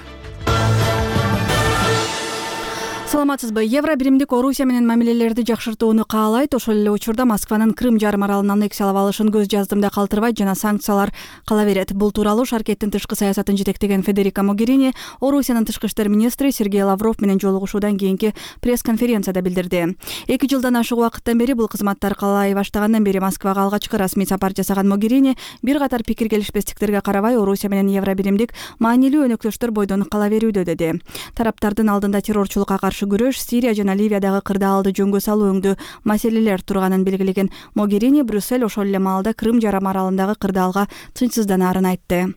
Саламатсызбы? Евро биримдик Орусия менен мамилелерди жакшыртууну каалайт. Ошол эле учурда Москванын Крым жарым аралын аннексиялап алышын көз жаздымда калтырбайт жана санкциялар кала берет. Бул тууралуу Шаркеттин тышкы саясатын жетектеген Федерика Могерини Орусиянын тышкы иштер министри Сергей Лавров менен жолугушуудан кийинки пресс-конференцияда билдирди. 2 жылдан ашык убакыттан бери бул кызматтар калай баштагандан бери Москвага алгачкы расмий сапар жасаган Могерини бир катар пикир келишпестиктерге карабай Орусия менен евро биримдик маанилүү өнөктөштөр бойдон кала берүүдө деди. Тараптардын алдында террорчулукка каршы күрөш, Сирия жана Ливиядагы кырдаалды жөнгө салуу өңдүү маселелер турганын белгилеген Могерини Брюссель ошол эле маалда Крым жарым аралындагы кырдаалга тынчсызданаарын айтты.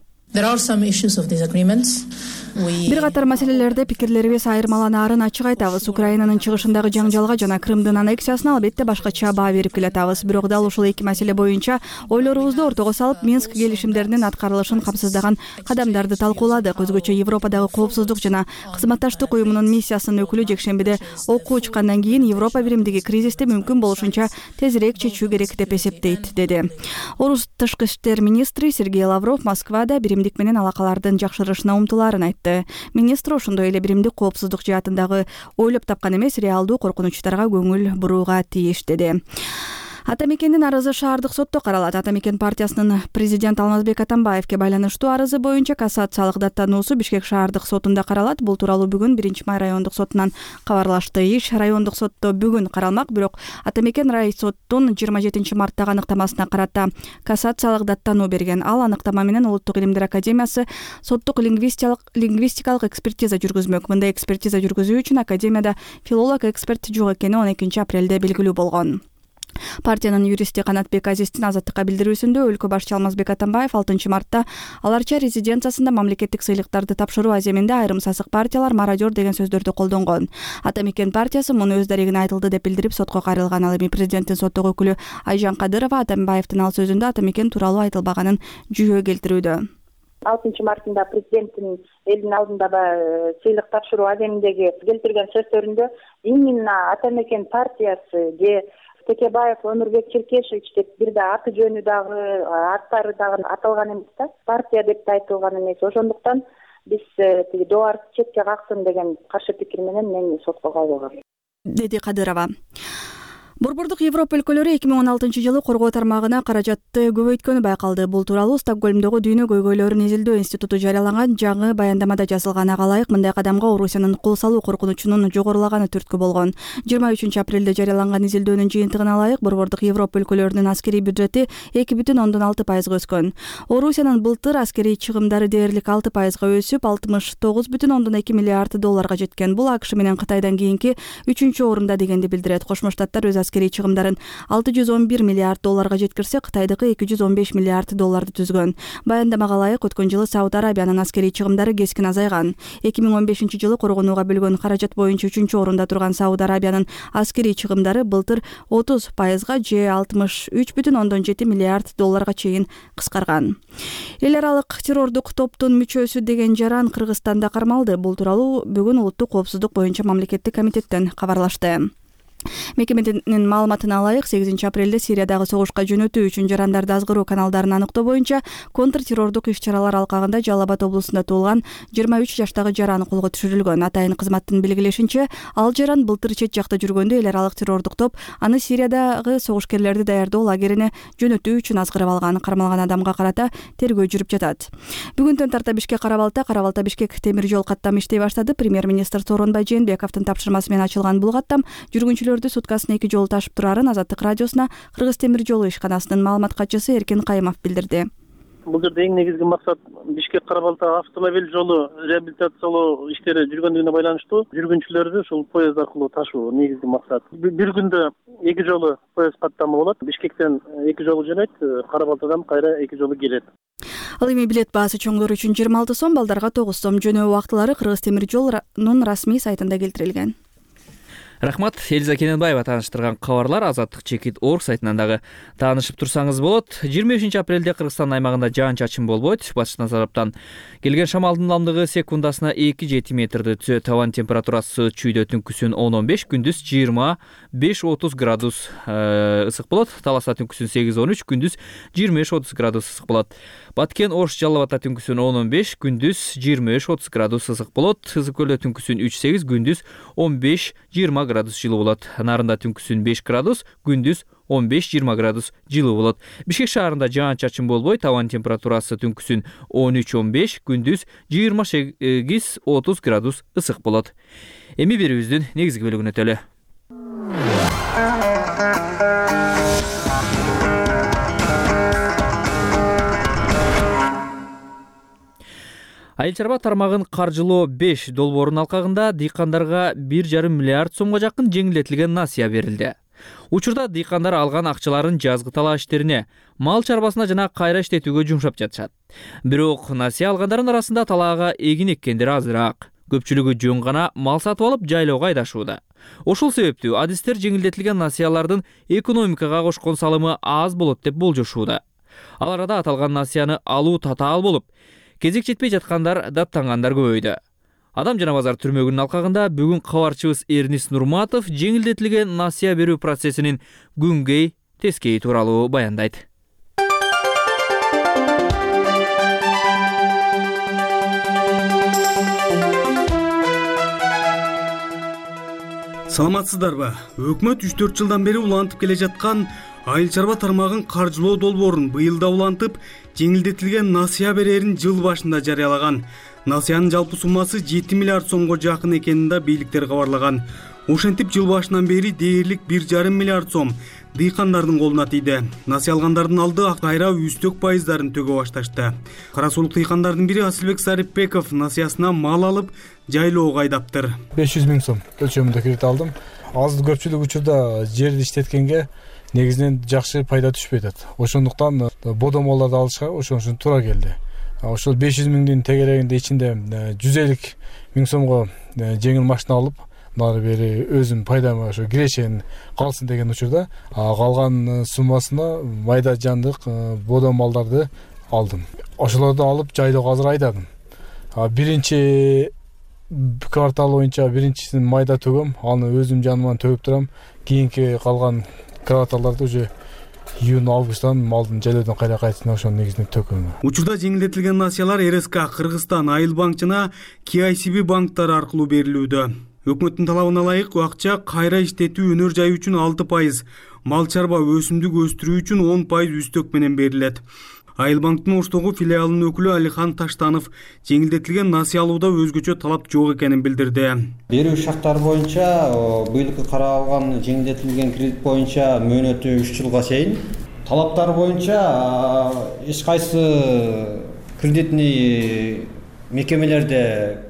Бир катар маселелерде пикирлерибиз айырмаланаарын ачык айтабыз. Украинанын чыгышындагы жаңжалга жана Крымдын аннексиясына албетте башкача баа берип келатабыз. Бирок дал ушул эки маселе боюнча ойлорубузду ортого салып, Минск келишимдеринин аткарылышын камсыздаган кадамдарды талкууладык. Өзгөчө Европадагы коопсуздук жана кызматташтык уюмунун миссиясынын өкүлү жекшембиде окуу чыккандан кийин Европа биримдиги кризисти мүмкүн болушунча тезирээк чечүү керек деп эсептейт, деди. Орус тышкы иштер министри Сергей Лавров Москвада биримдик менен алакалардын жакшырышына умтулаарын айтты. Министр ошондой эле биримдик коопсуздук жаатындагы ойлоп тапкан эмес, реалдуу коркунучтарга көңүл бурууга тийиш, деди. Атамекендин арызы шаардык сотто каралат. Атамекен партиясынын президент Алмазбек Атамбаевке байланыштуу арызы боюнча кассациялык даттануусу Бишкек шаардык сотунда каралат. Бул тууралуу бүгүн 1-май райондук сотунан кабарлашты. Иш райондук сотто бүгүн каралмак, бирок Атамекен райсоттун 27-марттагы аныктамасына карата кассациялык даттануу берген. Ал аныктама менен Улуттук илимдер академиясы соттук лингвистикалык экспертиза жүргүзмөк. Мындай экспертиза жүргүзүү үчүн академияда филолог эксперт жок экени 12 апрелде белгилүү болгон. Партиянын юристи Канатбек Азиздин Азаттыкка билдирүүсүндө өлкө башчы Алмазбек Атамбаев 6 мартта аларча резиденциясында мамлекеттик сыйлыктарды тапшыруу аземинде айрым сасык партиялар мародер деген сөздөрдү колдонгон. Атамекен партиясы муну өз дарегине айтылды деп билдирип сотко кайрылган. Ал эми президенттин соттогу өкүлү Айжан Кадырова Атамбаевдин ал сөзүндө Атамекен тууралуу айтылбаганын жүйө келтирүүдө. 6 мартында президенттин элдин алдындагы сыйлык тапшыруу аземиндеги келтирген сөздөрүндө именно Атамекен партиясы же Текебаев Өмүрбек Черкешевич деп бир да аты жөнү дагы аттары дагы аталган эмес да, партия деп да айтылган эмес. Ошондуктан биз тиги доорду четке каксын деген каршы пикир менен мен сотко кайрылгам, деди Кадырова. Борбордук Европа өлкөлөрү 2016 жылы коргоо тармагына каражатты көбөйткөнү байкалды. Бул тууралуу Стокгольмдогу Дүйнө көйгөйлөрүн изилдөө институту жарыялаган жаңы баяндамада жазылган. Ага ылайык мындай кадамга Орусиянын кол салуу коркунучунун жогорулаганы түрткү болгон. 23 апрелде жарыяланган изилдөөнүн жыйынтыгына ылайык Борбордук Европа өлкөлөрүнүн аскерий бюджети 2,6% өскөн. Орусиянын былтыр аскерий чыгымдары дээрлик 6% өсүп, 69,2 миллиард долларга жеткен. Бул АКШ менен Кытайдан кийинки 3-орунда дегенди билдирет. Кошмо Штаттар өз аскерий чыгымдарын 611 миллиард долларга жеткирсе, Кытайдыкы 215 миллиард долларды түзгөн. Баяндамага ылайык өткөн жылы Сауд Арабиянын аскерий чыгымдары кескин азайган. 2015 жылы коргонууга бөлгөн каражат боюнча 3-орунда турган Сауд Арабиянын аскерий чыгымдары былтыр 30%га же 63,7 миллиард долларга чейин кыскарган. Эл аралык террордук топтун мүчөсү деген жаран Кыргызстанда кармалды. Бул тууралуу бүгүн Улуттук коопсуздук боюнча мамлекеттик комитеттен кабарлашты. Мекеменин маалыматына ылайык 8 апрелде Сириядагы согушка жөнөтүү үчүн жарандарды азгыруу каналдарын аныктоо боюнча контртеррордук иш-чаралар алкагында Жалал Абад облусунда туулган 23 жаштагы жаран колго түшүрүлгөн. Атайын кызматтын белгилешинче, ал жаран былтыр чет жакта жүргөндө эл аралык террордук топ аны Сириядагы согушкерлерди даярдоо лагерине жөнөтүү үчүн азгырып алган. Кармалган адамга карата тергөө жүрүп жатат. Бүгүндөн тарта Бишкек Карабалта Бишкек темир жол каттамы иштей баштады. Премьер-министр Сооронбай Жээнбековдун тапшырмасы менен ачылган бул каттам жүргүнчүлөрдү суткасына 2 жолу ташып турарын Азаттык радиосуна Кыргыз темир жолу ишканасынын маалымат катчысы Эркин Кайымов билдирди. Бул жерде эң негизги максат Бишкек Кара Балта автомобиль жолу реабилитациялоо иштери жүргөндүгүнө байланыштуу жүргүнчүлөрдү ушул поезд аркылуу ташуу негизги максат. Бир күндө 2 жолу поезд каттамы болот. Бишкектен 2 жолу жөнөйт, Кара Балтадан кайра 2 жолу келет. Ал эми билет баасы чоңдор үчүн 26 сом, балдарга 9 сом. Жөнөө убактылары Кыргыз темир жолунун расмий сайтында келтирилген. Рахмат, Элиза Кененбаева тааныштырган кабарлар Азаттык.org сайтынан дагы таанышып турсаңыз болот. 23 апрелде Кыргызстан аймагында жаан-чачын болбойт. Батыштан тараптан келген шамалдын ылдамдыгы секундасына 2-7 метрди түзөт. Табан температурасы чүйдө түнкүсүн 10-15, күндүз 25-30 градус ысык болот. Таласта түнкүсүн 8-13, күндүз 25-30 градус ысык болот. Баткен Ош Жалал Абадта түнкүсүн 10-15, күндүз 25-30 градус ысык болот. Ысык көлдө түнкүсүн 3-8, күндүз 15-20 градус жылуу болот. Нарында түнкүсүн 5 градус, күндүз 15-20 градус жылуу болот. Бишкек шаарында жаан-чачын болбой, табан температурасы түнкүсүн 13-15, күндүз 28-30 градус ысык болот. Эми берүүбүздүн негизги бөлүгүнө өтөлү. Айыл чарба тармагын каржылоо 5 долбоорунун алкагында дыйкандарга 1,5 миллиард сомго жакын жеңилдетилген насыя берилди. Учурда дыйкандар алган акчаларын жазгы талаа иштерине, мал чарбасына жана кайра иштетүүгө жумшап жатышат. Бирок насыя алгандардын арасында талаага эгин эккендер азыраак. Көпчүлүгү жөн гана мал сатып алып жайлоого айдашууда. Ошол себептүү адистер жеңилдетилген насыялардын экономикага кошкон салымы аз болот деп болжошууда. Ал арада аталган насыяны алуу татаал болуп, кезек жетпей жаткандар даттангандар көбөйдү. Адам жана базар түрмөгүнүн алкагында бүгүн кабарчыбыз Эрнис Нурматов жеңилдетилген насыя берүү процессинин күнгөй тескейи тууралуу баяндайт. Саламатсыздарбы? Өкмөт 3-4 жылдан бери улантып келе жаткан айыл чарба тармагын каржылоо долбоорун быйыл да улантып, жеңилдетилген насыя берерин жыл башында жарыялаган. Насыянын жалпы суммасы 7 миллиард сомго жакын экенин да бийликтер кабарлаган. Ошентип жыл башынан бери дээрлик 1,5 миллиард сом дыйкандардын колуна тийди. Насыя алгандардын алды кайра үстөк пайыздарын төгө башташты. Кара сулук дыйкандардын бири Асылбек Сарипбеков насыясына мал алып жайлоого айдаптыр. 500 миң сом өлчөмүндө кредит алдым. Азды көпчүлүк учурда жерди иштеткенге негизинен жакшы пайда түшпөй атат. Ошондуктан бодомолорду алышка ошон үчүн туура келди. Ошол 500 миңдин тегерегинде ичинде 150 миң сомго жеңил машина алып, нары бери өзүм пайдама ошо кирешен калсын деген учурда калган суммасына майда жандык бодомалдарды алдым. Ошолорду алып жайлоого азыр айдадым. Биринчи квартал боюнча биринчисин майда төгөм, аны өзүм жаныман төгүп турам. Кийинки калган кварталдарды уже июнь-августтан малдын жайлоодон кайра кайтышына ошонун негизинде төкөм. Учурда жеңилдетилген насыялар РСК, Кыргызстан Айыл банк жана KICB банктары аркылуу берилүүдө. Өкмөттүн талабына ылайык акча кайра иштетүү өнөр жай үчүн 6%, мал чарба өсүмдүк өстүрүү үчүн 10% үстөк менен берилет. Айыл банктын Оштогу филиалынын өкүлү Алихан Таштанов жеңилдетилген насыя алууда өзгөчө талап жок экенин билдирди. Берүү шарттары боюнча быйылкы каралган жеңилдетилген кредит боюнча мөөнөтү 3 жылга чейин. Талаптар боюнча эч кайсы кредитный мекемелерде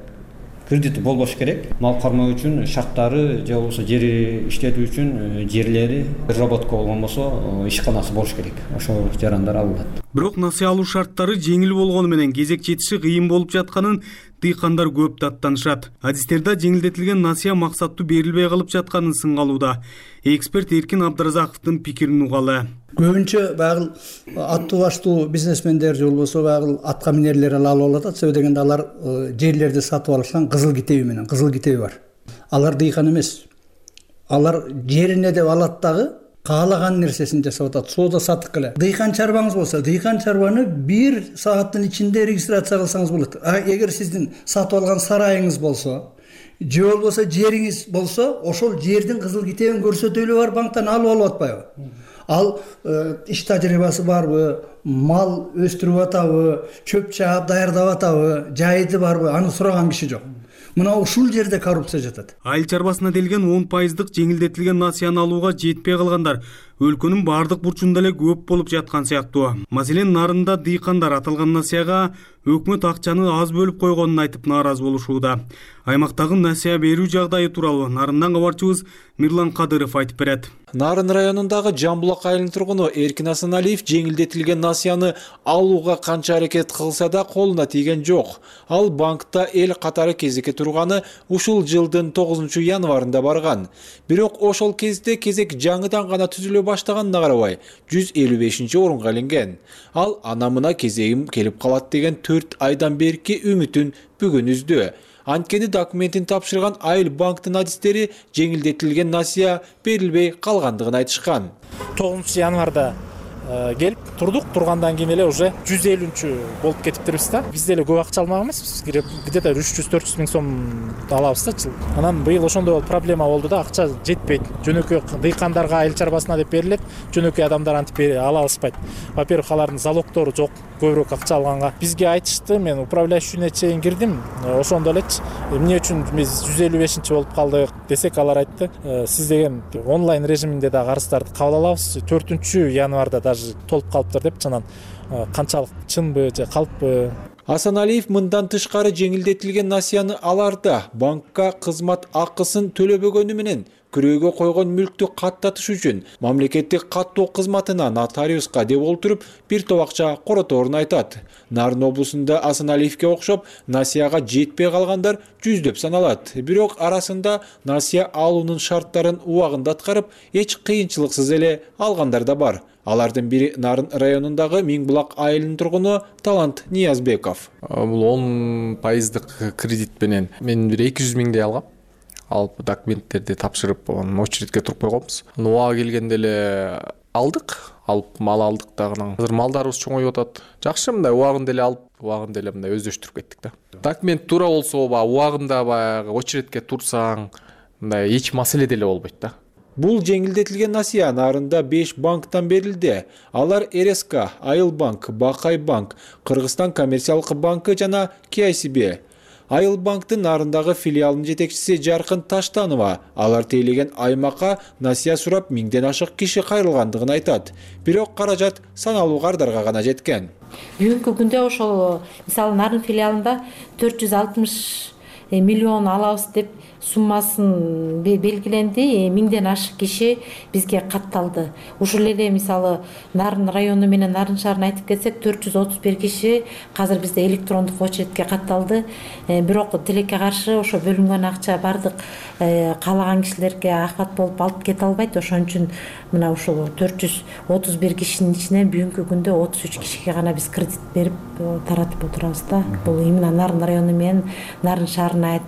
кредити болбош керек. Мал кармоо үчүн шарттары же болбосо жери иштетүү үчүн жерлери разработка болгон болсо ишканасы болуш керек. Ошол жарандар алынат. Бирок насыя алуу шарттары жеңил болгону менен кезек жетиши кыйын болуп жатканын дыйкандар көп даттанышат. Адистерде жеңилдетилген насыя максаттуу берилбей калып жатканын сынгалууда. Эксперт Эркин Абдыразаковдун пикирин угалы. Көбүнчө багыл аттуу баштуу бизнесмендер же болбосо багыл атка минерлер алып атат. Себеби дегенде алар жерлерди сатып алышкан кызыл китеби менен, кызыл китеби бар. Алар дыйкан эмес. Алар жерине деп алат дагы каалаган нерсесин жасап атат. Соода сатык эле. Дыйкан чарбаңыз болсо, дыйкан чарбаны 1 сааттын ичинде регистрация кылсаңыз болот. Эгер сиздин сатып алган сарайыңыз болсо, же болбосо жериңиз болсо, ошол жердин кызыл китебин көрсөтөлү бар банктан алып атпайбы? Ал иш тажрыйбасы барбы, мал өстүрүп атабы, чөп чаап даярдап атабы, жайды барбы, аны сураган киши жок. мына ушул жерде коррупция жатат. Айыл чарбасына делген 10% жеңилдетилген насыяны алууга жетпей калгандар өлкөнүн бардык бурчунда эле көп болуп жаткан сыяктуу. Маселен, Нарында дыйкандар аталган насыяга өкмөт акчаны аз бөлүп койгонун айтып нааразы болушууда. Аймактагы насыя берүү жагдайы тууралуу Нарындан кабарчыбыз Мирлан Кадыров айтып берет. Нарын районундагы Жамбулак айылынын тургуну Эркин Асаналиев жеңилдетилген насыяны алууга канча аракет кылса да колуна тийген жок. Ал банкта эл катары кезекке турганы ушул жылдын 9 январында барган. Бирок ошол кезде кезек жаңыдан гана түзүлө баштаганына карабай 155-орунга илинген. Ал анамына кезегим келип калат деген 4 айдан берки үмүтүн бүгүн үздү. Анткени документин тапшырган айыл банктын адистери жеңилдетилген насыя берилбей калгандыгын айтышкан. 9 январда келип турдук, тургандан кийин эле уже 150 болуп кетиптирбиз да. Биз деле көп акча алмак эмеспиз, где-то 300-400 миң сом алабыз да жыл. Анан быйыл ошондой проблема болду да, акча жетпейт. Жөнөкөй дыйкандарга айыл чарбасына деп берилет, жөнөкөй адамдар антип ала алышпайт. Во-первых, алардын залогтору жок, көбүрөөк акча алганга. Бизге айтышты, мен управляющийне чейин кирдим, ошондо элечи эмне үчүн биз 155 болуп калдык десек, алар айтты, сиз деген онлайн режиминде да арыздарды кабыл алабыз, 4 январда даже толуп калыптыр деп, чынан канчалык чынбы же калппы. Асаналиев мындан тышкары жеңилдетилген насыяны аларда банкка кызмат акысын төлөбөгөнү менен күрөөгө койгон мүлктү каттатыш үчүн мамлекеттик каттоо кызматына нотариуска деп олтуруп бир топ акча короторун айтат. Нарын облусунда Асаналиевке окшоп насыяга жетпей калгандар жүздөп саналат. Бирок арасында насыя алуунун шарттарын убагында аткарып, эч кыйынчылыксыз эле алгандар да бар. Алардын бири Нарын районундагы Миңбулак айылынын тургуну Талант Ниязбеков. Бул 10% кредит менен мен бир 200 миңдей алгам. Алып документтерди тапшырып, очередке туруп койгонбуз. Убагы келгенде эле алдык, алып мал алдык дагы. Азыр малдарыбыз чоңоюп атат. Жакшы, мындай убагында эле алып, убагында эле мындай өздөштүрүп кеттик да. Документ туура болсо, убагында баягы очередке турсаң, мындай эч маселе деле болбойт да. Бул жеңилдетилген насыя Нарында 5 банктан берилди. Алар РСК, Айыл банк, Бакай банк, Кыргызстан коммерциялык банкы жана KICB. Айыл банктын Нарындагы филиалынын жетекчиси Жаркын Таштанова алар тейлеген аймакка насыя сурап 1000ден ашык киши кайрылгандыгын айтат. Бирок каражат саналуу кардарга гана жеткен. Бүгүнкү күндө ошол мисалы Нарын филиалында 460 миллион алабыз деп суммасын белгиленди. 1000ден ашык киши бизге катталды. Ушул эле мисалы Нарын району менен Нарын шаарын айтып кетсек, 431 киши азыр бизде электрондук очередке катталды. Бирок тилекке каршы ошо бөлүнгөн акча бардык каалаган кишилерге ахват болуп алып кете албайт. Ошон үчүн мына ушул 431 кишинин ичинен бүгүнкү күндө 33 кишиге гана биз кредит берип таратып отурабыз да. Бул именно Нарын району менен Нарын шаарына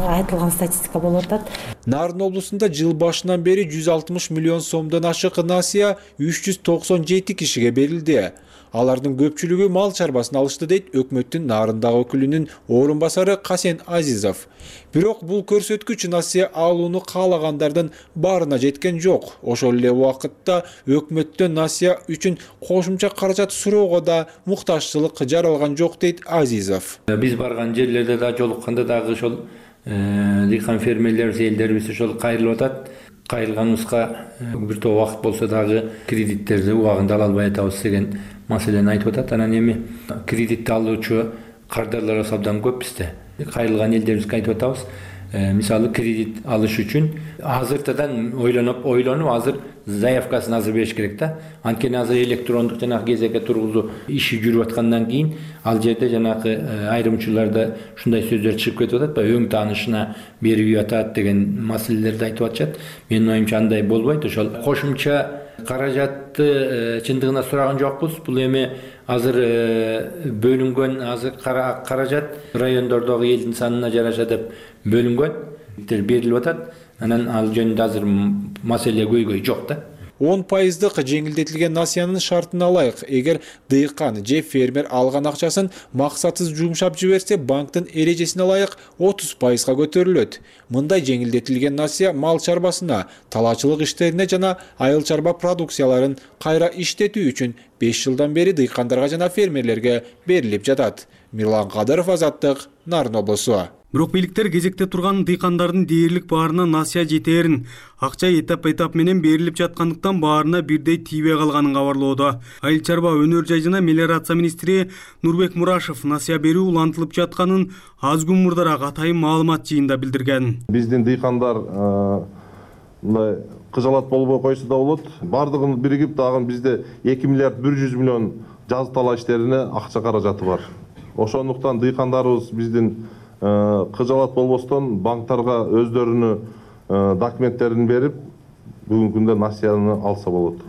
айтылган статистика болуп атат. Нарын облусунда жыл башынан бери 160 миллион сомдон ашык насыя 397 кишиге берилди. Алардын көпчүлүгү мал чарбасын алышты дейт өкмөттүн Нарындагы өкүлүнүн орун басары Касен Азизов. Бирок бул көрсөткүч насыя алууну каалагандардын баарына жеткен жок. Ошол эле убакытта өкмөттөн насыя үчүн кошумча каражат суроого да муктажчылык жаралган жок дейт Азизов. Биз барган жерлерде да жолукканда дагы ошол дыйкан фермерлер, элдерибиз ошол кайрылып атат. Кайрылганыбызга бир топ убакыт болсо дагы кредиттерди убагында ала албай атабыз деген маселени айтып атат. Анан эми кредитти алуучу кардарлар абдан көп бизде. Кайрылган элдерибизге айтып атабыз. Мисалы кредит алыш үчүн азыртадан ойлонуп азыр заявкасын азыр бериш керек да. Анткени азыр электрондук жанагы кезекке тургузуу иши жүрүп аткандан кийин ал жерде жанагы айрымчыларда ушундай сөздөр чыгып кетип атат, өң таанышына берип атат деген маселелерди айтып атышат. Менин оюмча андай болбойт. Ошол кошумча каражатты чындыгына сураган жокпуз. Бул эми азыр бөлүнгөн азыр каражат райондордогу элдин санына жараша деп бөлүнгөн, берилип атат. Анан ал жөнүндө азыр маселе көйгөй жок да. 10% жеңилдетилген насыянын шартына ылайык, эгер дыйкан же фермер алган акчасын максатсыз жумшап жиберсе, банктын эрежесине ылайык 30%га көтөрүлөт. Мындай жеңилдетилген насыя мал чарбасына, талаачылык иштерине жана айыл чарба продукцияларын кайра иштетүү үчүн 5 жылдан бери дыйкандарга жана фермерлерге берилип жатат. Мирлан Кадыров, Азаттык, Нарын облусу. Бирок бийликтер кезекте турган дыйкандардын дээрлик баарына насыя жетээрин, акча этап менен берилип жаткандыктан баарына бирдей тийбей калганын кабарлоодо. Айыл чарба, өнөр жай жана мелиорация министри Нурбек Мурашев насыя берүү улантылып жатканын аз күн мурдараак атайын маалымат жыйында билдирген. Биздин дыйкандар мындай кыжалат болбой койсо да болот. Бардыгын биригип дагы бизде 2 миллиард 100 миллион жазы талаа иштерине акча каражаты бар. Ошондуктан дыйкандарыбыз биздин кыжалат болбостон банктарга өздөрүнүн документтерин берип, бүгүнкү күндө насыяны алса болот.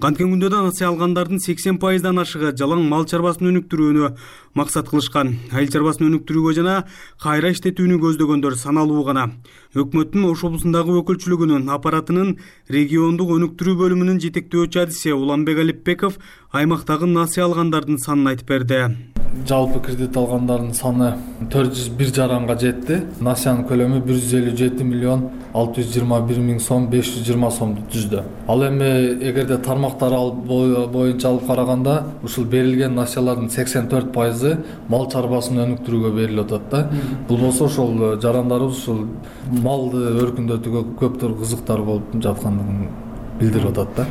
Канткен күндө да насыя алгандардын 80%дан ашыгы жалаң мал чарбасын өнүктүрүүнү максат кылышкан. Айыл чарбасын өнүктүрүүгө жана кайра иштетүүнү көздөгөндөр саналуу гана. Өкмөттүн Ош облусундагы өкүлчүлүгүнүн аппаратынын региондук өнүктүрүү бөлүмүнүн жетектөөчү адиси Уланбек Алипбеков аймактагы насыя алгандардын санын айтып берди. Жалпы кредит алгандардын саны 401 жаранга жетти. Насыянын көлөмү 157 миллион 621 миң сом 520 сомду түздү. Ал эми эгерде тармактар боюнча алып караганда, ушул берилген насыялардын 84% мал чарбасын өнүктүрүүгө берилип атат да. Бул болсо ошол жарандарыбыз ушул малды өркүндөтүүгө көптөр кызыктар болуп жаткандыгын билдирип атат да.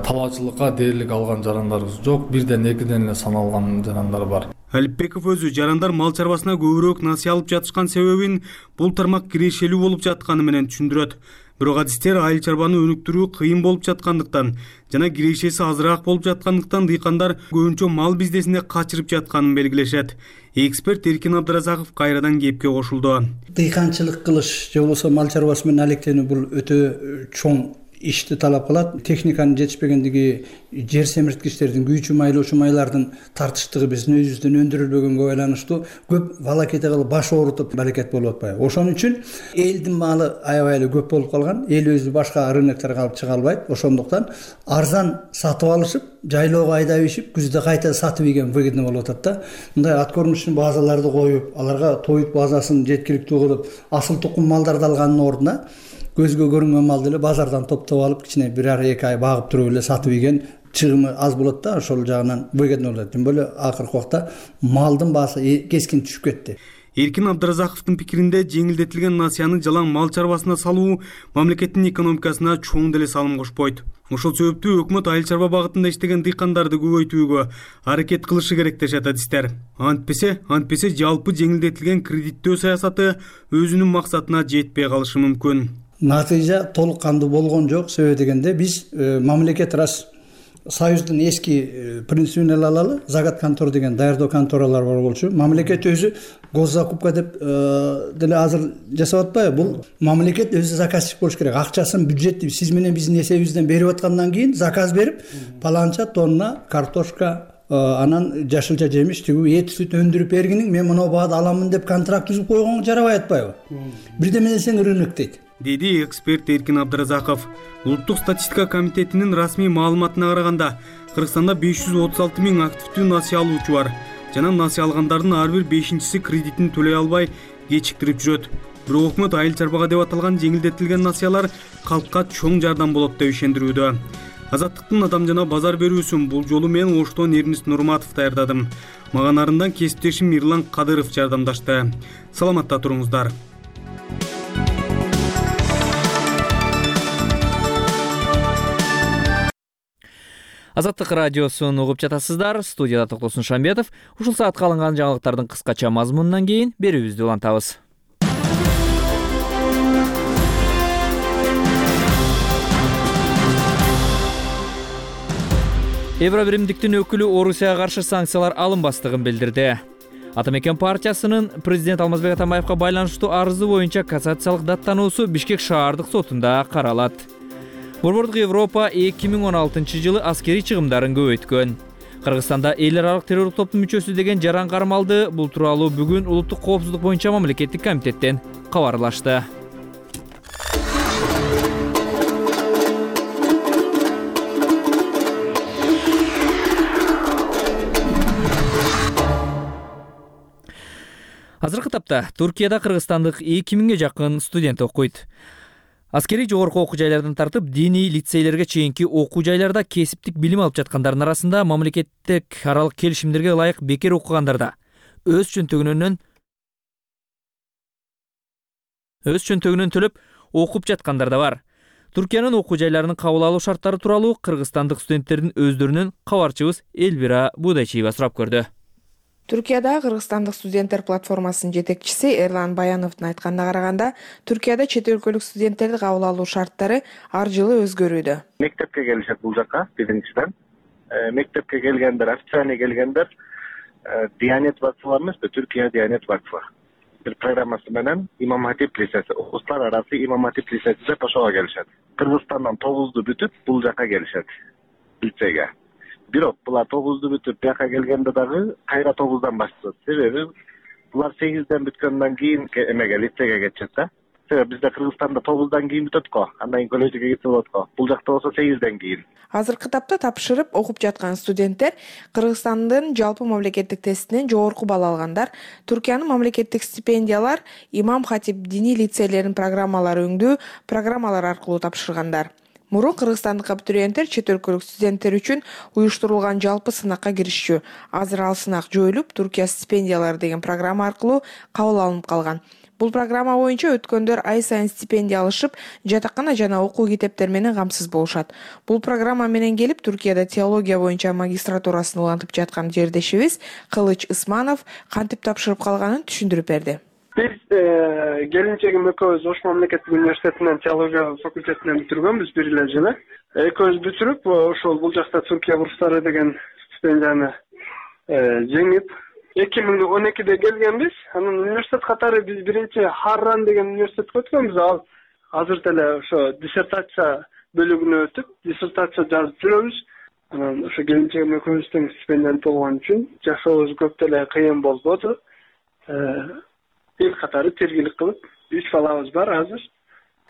Талаачылыкка дээрлик алган жарандарыбыз жок, бирден экиден эле саналган жарандар бар. Алипбеков өзү жарандар мал чарбасына көбүрөөк насыя алып жатышкан себебин бул тармак кирешелүү болуп жатканы менен түшүндүрөт. Бирок адистер айыл чарбаны өнүктүрүү кыйын болуп жаткандыктан жана кирешеси азыраак болуп жаткандыктан дыйкандар көбүнчө мал биздесине качырып жатканын белгилешет. Эксперт Эркин Абдыразаков кайрадан кепке кошулду. Дыйканчылык кылыш же болбосо мал чарбасы менен алектенүү бул өтө чоң ишти талап кылат. Техниканын жетишпегендиги, жер семирткичтердин, күйчү майлоочу майлардын тартыштыгы биздин өзүбүздөн өндүрүлбөгөнгө байланыштуу көп балакете кылып баш оорутуп балакет болуп атпайбы. Ошон үчүн элдин малы аябай эле көп болуп калган. Эл өзү башка рынокторго алып чыга албайт. Ошондуктан арзан сатып алышып, жайлоого айдап ишип, күздө кайта сатып ийген выгодно болуп атат да. Мындай ат көрүнүшүн базаларды коюп, аларга тоют базасын жеткиликтүү кылып, асыл тукум малдарды алгандын ордуна көзгө көрүнмөн малды эле базардан топтоп алып, кичине бир ар 2 ай багып туруп эле сатып ийген чыгымы аз болот да, ошол жагынан выгодно болот. Тим более акыркы убакта малдын баасы кескин түшүп кетти. Эркин Абдыразаковдун пикиринде жеңилдетилген насыяны жалаң мал чарбасына салуу мамлекеттин экономикасына чоң деле салым кошпойт. Ошол себептүү өкмөт айыл чарба багытында иштеген дыйкандарды көбөйтүүгө аракет кылышы керек дешет адистер. Антпесе жалпы жеңилдетилген кредиттөө саясаты өзүнүн максатына жетпей калышы мүмкүн. Натыйжа толук кандуу болгон жок. Себеби дегенде биз мамлекет рас Союздун эски принцибин эле алалы. Загат контор деген даярдоо конторалар бар болчу. Мамлекет өзү госзакупка деп деле азыр жасап атпайбы? Бул мамлекет өзү заказчик болуш керек. Акчасын бюджетти сиз менен биздин эсебибизден берип аткандан кийин заказ берип, паланча тонна картошка, анан жашылча жемиш, тигүү эт сүт өндүрүп бергиниң мен мына баада аламын деп контракт түзүп койгонго жарабай атпайбы? Бирдеме десең рынок дейт. Деди эксперт Эркин Абдыразаков. Улуттук статистика комитетинин расмий маалыматына караганда, Кыргызстанда 536 миң активдүү насыя алуучу бар. Жана насыя алгандардын ар бир 5-чиси кредитин төлөй албай кечиктирип жүрөт. Бирок өкмөт айыл чарбага деп аталган жеңилдетилген насыялар калкка чоң жардам болот деп ишендирүүдө. Азаттыктын адам жана базар берүүсүн бул жолу мен Оштон Эрнис Нурматов даярдадым. Мага нарындан кесиптешим Мирлан Кадыров жардамдашты. Саламатта туруңуздар. Азаттык радиосун угуп жатасыздар. Студияда Токтосун Шамбетов. Ушул саатка алынган жаңылыктардын кыскача мазмунунан кийин берүүбүздү улантабыз. Евробиримдиктин өкүлү Орусияга каршы санкциялар алынбастыгын билдирди. Атамекен партиясынын президент Алмазбек Атамбаевга байланыштуу арызы боюнча кассациялык даттануусу Бишкек шаардык сотунда каралат. Борбордук Европа 2016 жылы аскерий чыгымдарын көбөйткөн. Кыргызстанда эл аралык террорлук топтун мүчөсү деген жаран кармалды. Бул тууралуу бүгүн улуттук коопсуздук боюнча мамлекеттик комитеттен кабарлашты. Азыркы тапта Туркияда кыргызстандык 2000ге жакын студент окуйт. Аскерий жогорку окуу жайлардан тартып, диний лицейлерге чейинки окуу жайларда кесиптик билим алып жаткандардын арасында мамлекеттик аралык келишимдерге ылайык бекер окугандарда өз чөнтөгүнөн өз чөнтөгүнөн төлөп окуп жаткандар да бар. Түркиянын окуу жайларынын кабыл алуу шарттары тууралуу кыргызстандык студенттердин өздөрүнөн кабарчыбыз Элбира Будайчиева сурап көрдү. Түркияда Кыргызстандык студенттер платформасынын жетекчиси Эрлан Баяновдун айтканына караганда, Түркияда чет өлкөлүк студенттерди кабыл алуу шарттары ар жылы өзгөрүүдө. Мектепке келишет бул жака биринчиден. Мектепке келгендер, официальный келгендер Диянет vakfı эмеспи, Түркия Диянет vakfı. Bir программасы менен Имам Хатип лицеси, Улустар арасы Имам Хатип лицеси деп ошого келишет. Кыргызстандан 9-ду бүтүп бул жака келишет лицейге. Бирок булар 9-ду бүтүп бияка келгенде дагы кайра 9-дан башташат. Себеби булар 8-ден бүткөндөн кийин эмеге лицейге кетишет да. Себеби бизде Кыргызстанда 9-дан кийин бүтөт го, андан кийин коллежге кетсе болот го. Бул жакта болсо 8-ден кийин. Азыркы тапта тапшырып окуп жаткан студенттер Кыргызстандын жалпы мамлекеттик тестинен жогорку балл алгандар, Түркиянын мамлекеттик стипендиялар, Имам Хатип диний лицейлеринин программалары өңдүү программалар аркылуу тапшыргандар. Мурун кыргызстандык абитуриенттер чет өлкөлүк студенттер үчүн уюштурулган жалпы сынакка киришчү. Азыр ал сынак жоюлуп, Түркия стипендиялары деген программа аркылуу кабыл алынып калган. Бул программа боюнча өткөндөр ай сайын стипендия алышып, жатакана жана окуу китептер менен камсыз болушат. Бул программа менен келип Түркияда теология боюнча магистратурасын улантып жаткан жердешибиз Кылыч Ысманов кантип тапшырып калганын түшүндүрүп берди. Биз келинчегим экөөбүз Ош мамлекеттик университетинен теология факультетинен бүтүргөнбүз бир эле жылы. Экөөбүз бүтүрүп, ошол бул жакта Түркия бурстары деген стипендияны жеңип 2012-де келгенбиз. Анын университет катары биз биринчи Харран деген университетке өткөнбүз. Ал азыр деле ошо диссертация бөлүгүнө өтүп, диссертация жазып жүрөбүз. Анан ошо келинчегим экөөбүздүн стипендиянт болгон үчүн жашообуз көп деле кыйын болбоду. Эл катары тергилик кылып, 3 балабыз бар азыр.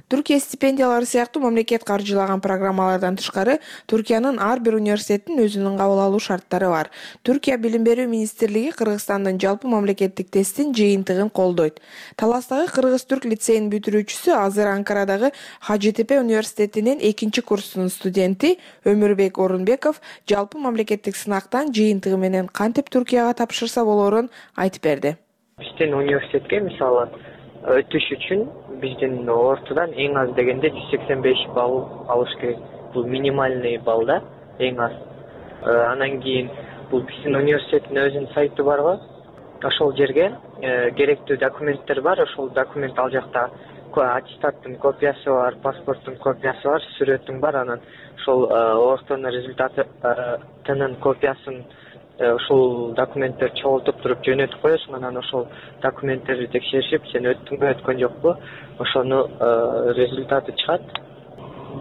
Түркия стипендиялары сыяктуу мамлекет каржылаган программалардан тышкары, Түркиянын ар бир университеттин өзүнүн кабыл алуу шарттары бар. Түркия Билим берүү министрлиги Кыргызстандын жалпы мамлекеттик тесттин жыйынтыгын колдойт. Таластагы кыргыз-түрк лицейинин бүтүрүүчүсү азыр Анкарадагы Хажитепе университетинин 2-курсунун студенти Өмүрбек Орунбеков жалпы мамлекеттик сынактан жыйынтыгы менен кантип Түркияга тапшырса болорун айтып берди. Биздин университетке мисалы өтүш үчүн биздин ортодон эң аз дегенде 185 балл алыш керек. Бул минимальный балл да, эң аз. Анан кийин бул биздин университеттин өзүнүн сайты бар го. Ошол жерге керектүү документтер бар. Ошол документ ал жакта аттестаттын копиясы бар, паспорттун копиясы бар, сүрөтүң бар. Анан ошол ортонун результатынын копиясын ошол документтер чогултуп туруп жөнөтүп коесуң. Анан ошол документтерди текшеришип, сен өттүңбү, өткөн жокпу, ошону результаты чыгат.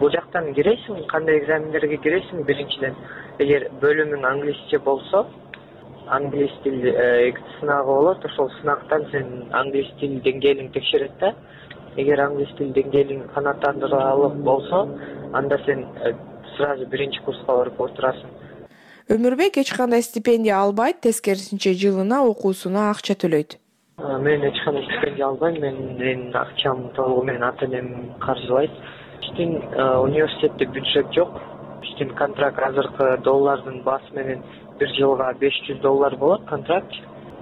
Бул жактан киресиң, кандай экзамендерге киресиң? Биринчиден, эгер бөлүмүң англисче болсо, англис тил сынагы болот. Ошол сынактан сен англис тил деңгээлиң текшерет да. Эгер англис тил деңгээлиң канааттандырылып болсо, анда сен сразу биринчи курска барып отурасың. Өмүрбек эч кандай стипендия албайт, тескерисинче жылына окуусуна акча төлөйт. Мен эч кандай стипендия албайм, менин акчам толугу менен ата-энем каржылайт. Биздин университетте бюджет жок. Биздин контракт азыркы доллардын баасы менен бир жылга $500 болот контракт.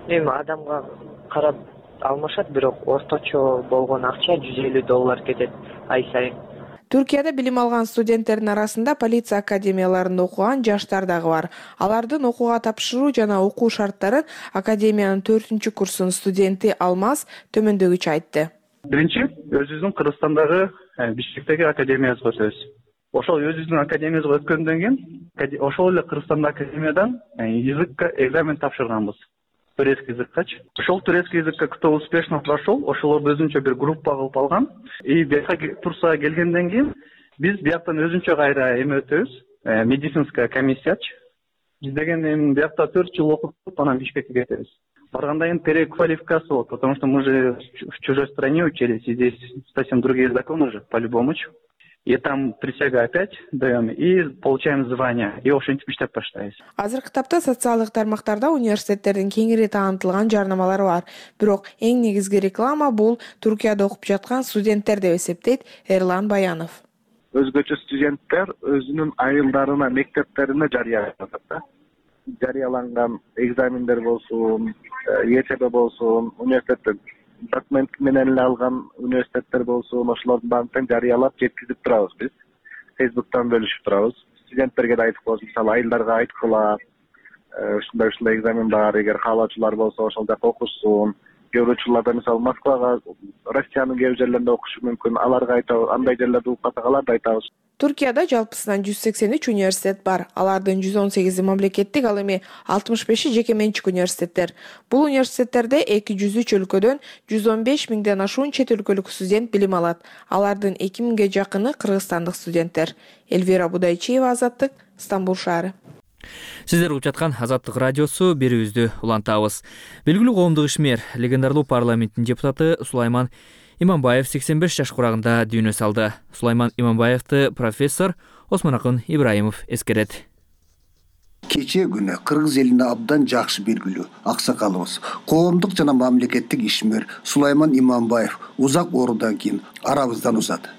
Эми адамга карап алмашат, бирок орточо болгон акча $150 кетет ай сайын. Түркияда билим алган студенттердин арасында полиция академияларында окуган жаштар дагы бар. Алардын окууга тапшыруу жана окуу шарттарын академиянын 4-курсунун студенти Алмаз төмөндөгүчө айтты. Биринчи, өзүбүздүн Кыргызстандагы Бишкектеги академиябызга өтөбүз. Ошол өзүбүздүн академиябызга өткөндөн кийин, ошол эле Кыргызстандагы академиядан языкка экзамен тапшырганбыз. Турецкий языккачы. Ошол турецкий языкка кто успешно прошел, ошолорду өзүнчө бир группа кылып алган. Бияка Турцияга келгенден кийин биз бияктан өзүнчө кайра эме өтөбүз, медицинская комиссиячы. Биз деген эми биякта 4 жыл окуп, анан Бишкекке кетебиз. Барганда эми переквалификация болот, потому что мы же в чужой стране учились, и здесь совсем другие законы же, по-любому. И там присягу опять даем, и получаем звание, и ошентип иштеп баштайбыз. Азыркы тапта социалдык тармактарда университеттердин кеңири таанытылган жарнамалары бар. Бирок эң негизги реклама бул Түркияда окуп жаткан студенттер деп эсептейт Эрлан Баянов. Өзгөчө студенттер өзүнүн айылдарына, мектептерине жарыяланат да. Жарыяланган экзамендер болсун, ЕЧБ болсун, университеттен документ менен эле алган университеттер болсун, ошолордун баарын тең жарыялап жеткизип турабыз биз. Фейсбуктан бөлүшүп турабыз. Студенттерге да айтып коебуз, мисалы айылдарга айткыла, ушундай экзамен бар, эгер каалоочулар болсо ошол жакка окушсун. Кээ бир учурларда мисалы Москвага, Россиянын кээ бир жерлеринде окушу мүмкүн, аларга айтабыз, андай жерлерде угуп калсак аларды айтабыз. Туркияда жалпысынан 183 университет бар. Алардын 118 мамлекеттик, ал эми 65 жеке менчик университеттер. Бул университеттерде 203 өлкөдөн 115 миңден ашуун чет өлкөлүк студент билим алат. Алардын 2000ге жакыны кыргызстандык студенттер. Эльвира Будайчиева, Азаттык, Стамбул шаары. Сиздер угуп жаткан Азаттык радиосу, берүүбүздү улантабыз. Белгилүү коомдук ишмер, легендарлуу парламенттин депутаты Сулайман Иманбаев 85 жаш курагында дүйнө салды. Сулайман Иманбаевди профессор Осмонакын Ибраимов эскерет. Кечээ күнү кыргыз элине абдан жакшы белгилүү аксакалыбыз, коомдук жана мамлекеттик ишмер Сулайман Иманбаев узак оруудан кийин арабыздан узады.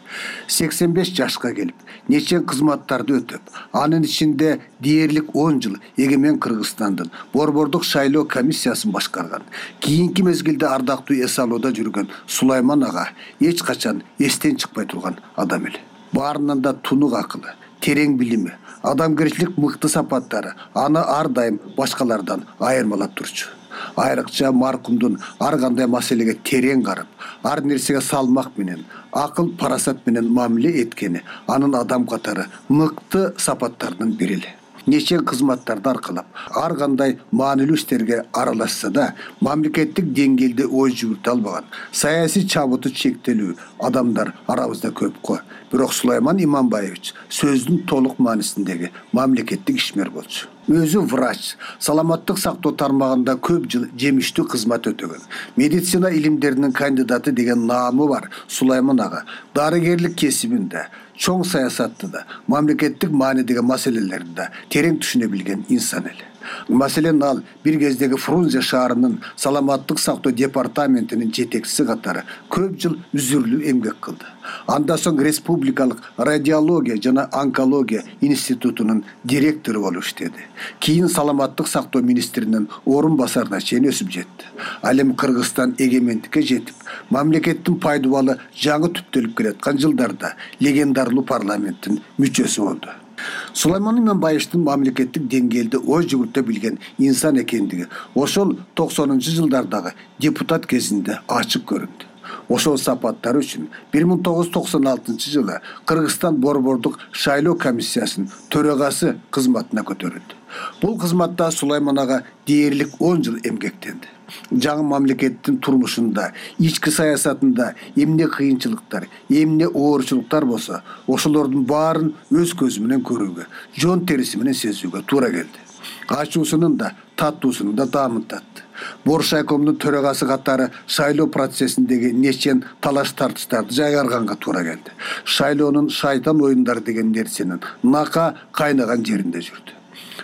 85 жашка келип, нече кызматтарды өтөп, анын ичинде дээрлик 10 жыл эгемен Кыргызстандын борбордук шайлоо комиссиясын башкарган. Кийинки мезгилде ардактуу эс алууда жүргөн Сулайман ага эч качан эстен чыкпай турган адам эле. Баарынан да тунук акылы, терең билими, адамгерчилик мыкты сапаттары аны ар дайым башкалардан айырмалап турчу. Айрыкча маркумдун ар кандай маселеге терең карап, ар нерсеге салмак менен, акыл парасат менен мамиле эткени анын адам катары мыкты сапаттарынын бири эле. Нече кызматтарды аркалап, ар кандай маанилүү иштерге аралашса да, мамлекеттик деңгээлде ой жүгүртө албаган, саясий чабыты чектелүү адамдар арабызда көп го. Бирок Сулайман Иманбаевич сөздүн толук маанисиндеги мамлекеттик ишмер болчу. Өзү врач, саламаттык сактоо тармагында көп жыл жемиштүү кызмат өтөгөн. Медицина илимдеринин кандидаты деген наамы бар Сулайман ага дарыгерлик кесибинде, чоң саясатты да, мамлекеттик маанидеги маселелерди да терең түшүнө билген инсан эле. Маселен ал бир кездеги Фрунзе шаарынын саламаттык сактоо департаментинин жетекчиси катары көп жыл үзүрлүү эмгек кылды. Андан соң республикалык радиология жана онкология институтунун директору болуп иштеди. Кийин саламаттык сактоо министринин орун басарына чейин өсүп жетти. Ал эми Кыргызстан эгемендикке жетип, мамлекеттин пайдубалы жаңы түптөлүп келаткан жылдарда легендарлуу парламенттин мүчөсү болду. Сулайман Иманбаевдин мамлекеттик деңгээлде ой жүгүртө билген инсан экендиги ошол 90-жылдардагы депутат кезинде ачык көрүндү. Ошол сапаттары үчүн 1996-жылы Кыргызстан борбордук шайлоо комиссиясынын төрагасы кызматына көтөрүлдү. Бул кызматта Сулайман ага дээрлик 10 жыл эмгектенди. Жаңы мамлекеттин турмушунда, ички саясатында эмне кыйынчылыктар, эмне оорчулуктар болсо, ошолордун баарын өз көзү менен көрүүгө, жон териси менен сезүүгө туура келди. Ачуусунун да, таттуусунун да даамын татты. Боршайкомдун төрагасы катары шайлоо процессиндеги нечен талаш тартыштарды жайгарганга туура келди. Шайлоонун шайтан оюндары деген нерсенин нака кайнаган жеринде жүрдү.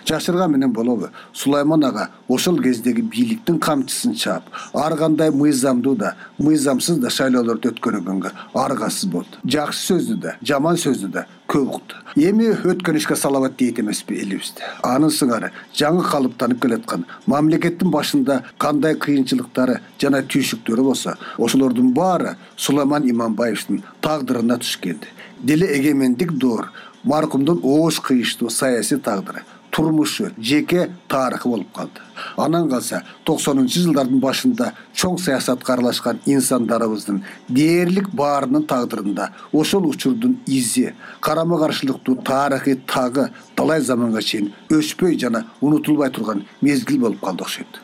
Жашырган менен болобу, Сулайман ага ошол кездеги бийликтин камчысын чаап, ар кандай мыйзамдуу да, мыйзамсыз да шайлоолорду өткөргөнгө аргасыз болду. Жакшы сөздү да, жаман сөздү да көп укту. Эми өткөн ишке салават дейт эмеспи элибизде. Анын сыңары жаңы калыптанып келаткан мамлекеттин башында кандай кыйынчылыктары жана түйшүктөрү болсо, ошолордун баары Сулайман Иманбаевдин тагдырына туш келди. Деле эгемендик доор, маркумдун оош кыйыштуу саясий тагдыры, турмушу, жеке тарыхы болуп калды. Анан калса 90-жылдардын башында чоң саясатка аралашкан инсандарыбыздын дээрлик баарынын тагдырында ошол учурдун изи, карама каршылыктуу тарыхый тагы талай заманга чейин өчпөй жана унутулбай турган мезгил болуп калды окшойт.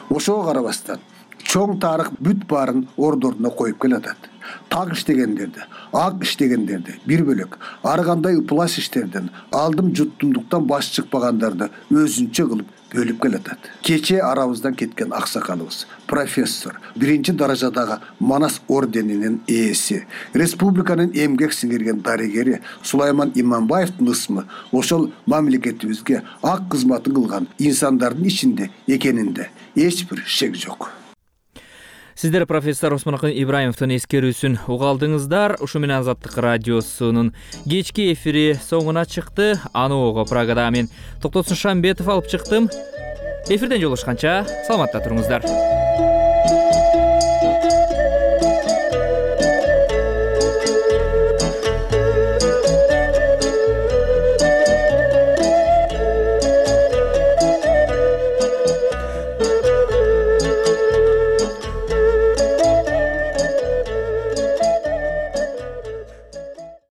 Ошого карабастан чоң тарых бүт баарын ордоруна коюп келатат. Так иштегендерди, ак иштегендерди бир бөлөк, ар кандай ыплас иштерден, алдым жуттумдуктан баш чыкпагандарды өзүнчө кылып бөлүп келатат. Кечээ арабыздан кеткен аксакалыбыз, профессор, 1-даражадагы Манас орденинин ээси, республиканын эмгек сиңирген дарыгери Сулайман Иманбаевдин ысмы ошол мамлекетибизге ак кызматын кылган инсандардын ичинде экенинде эч бир шек жок. Сиздер профессор Осмонакын Ибраимовдун эскерүүсүн угалдыңыздар. Ушу менен Азаттык радиосунун кечки эфири соңуна чыкты. Аны ого Прагада мен Токтосун Шамбетов алып чыктым. Эфирден жолугушканча саламатта туруңуздар.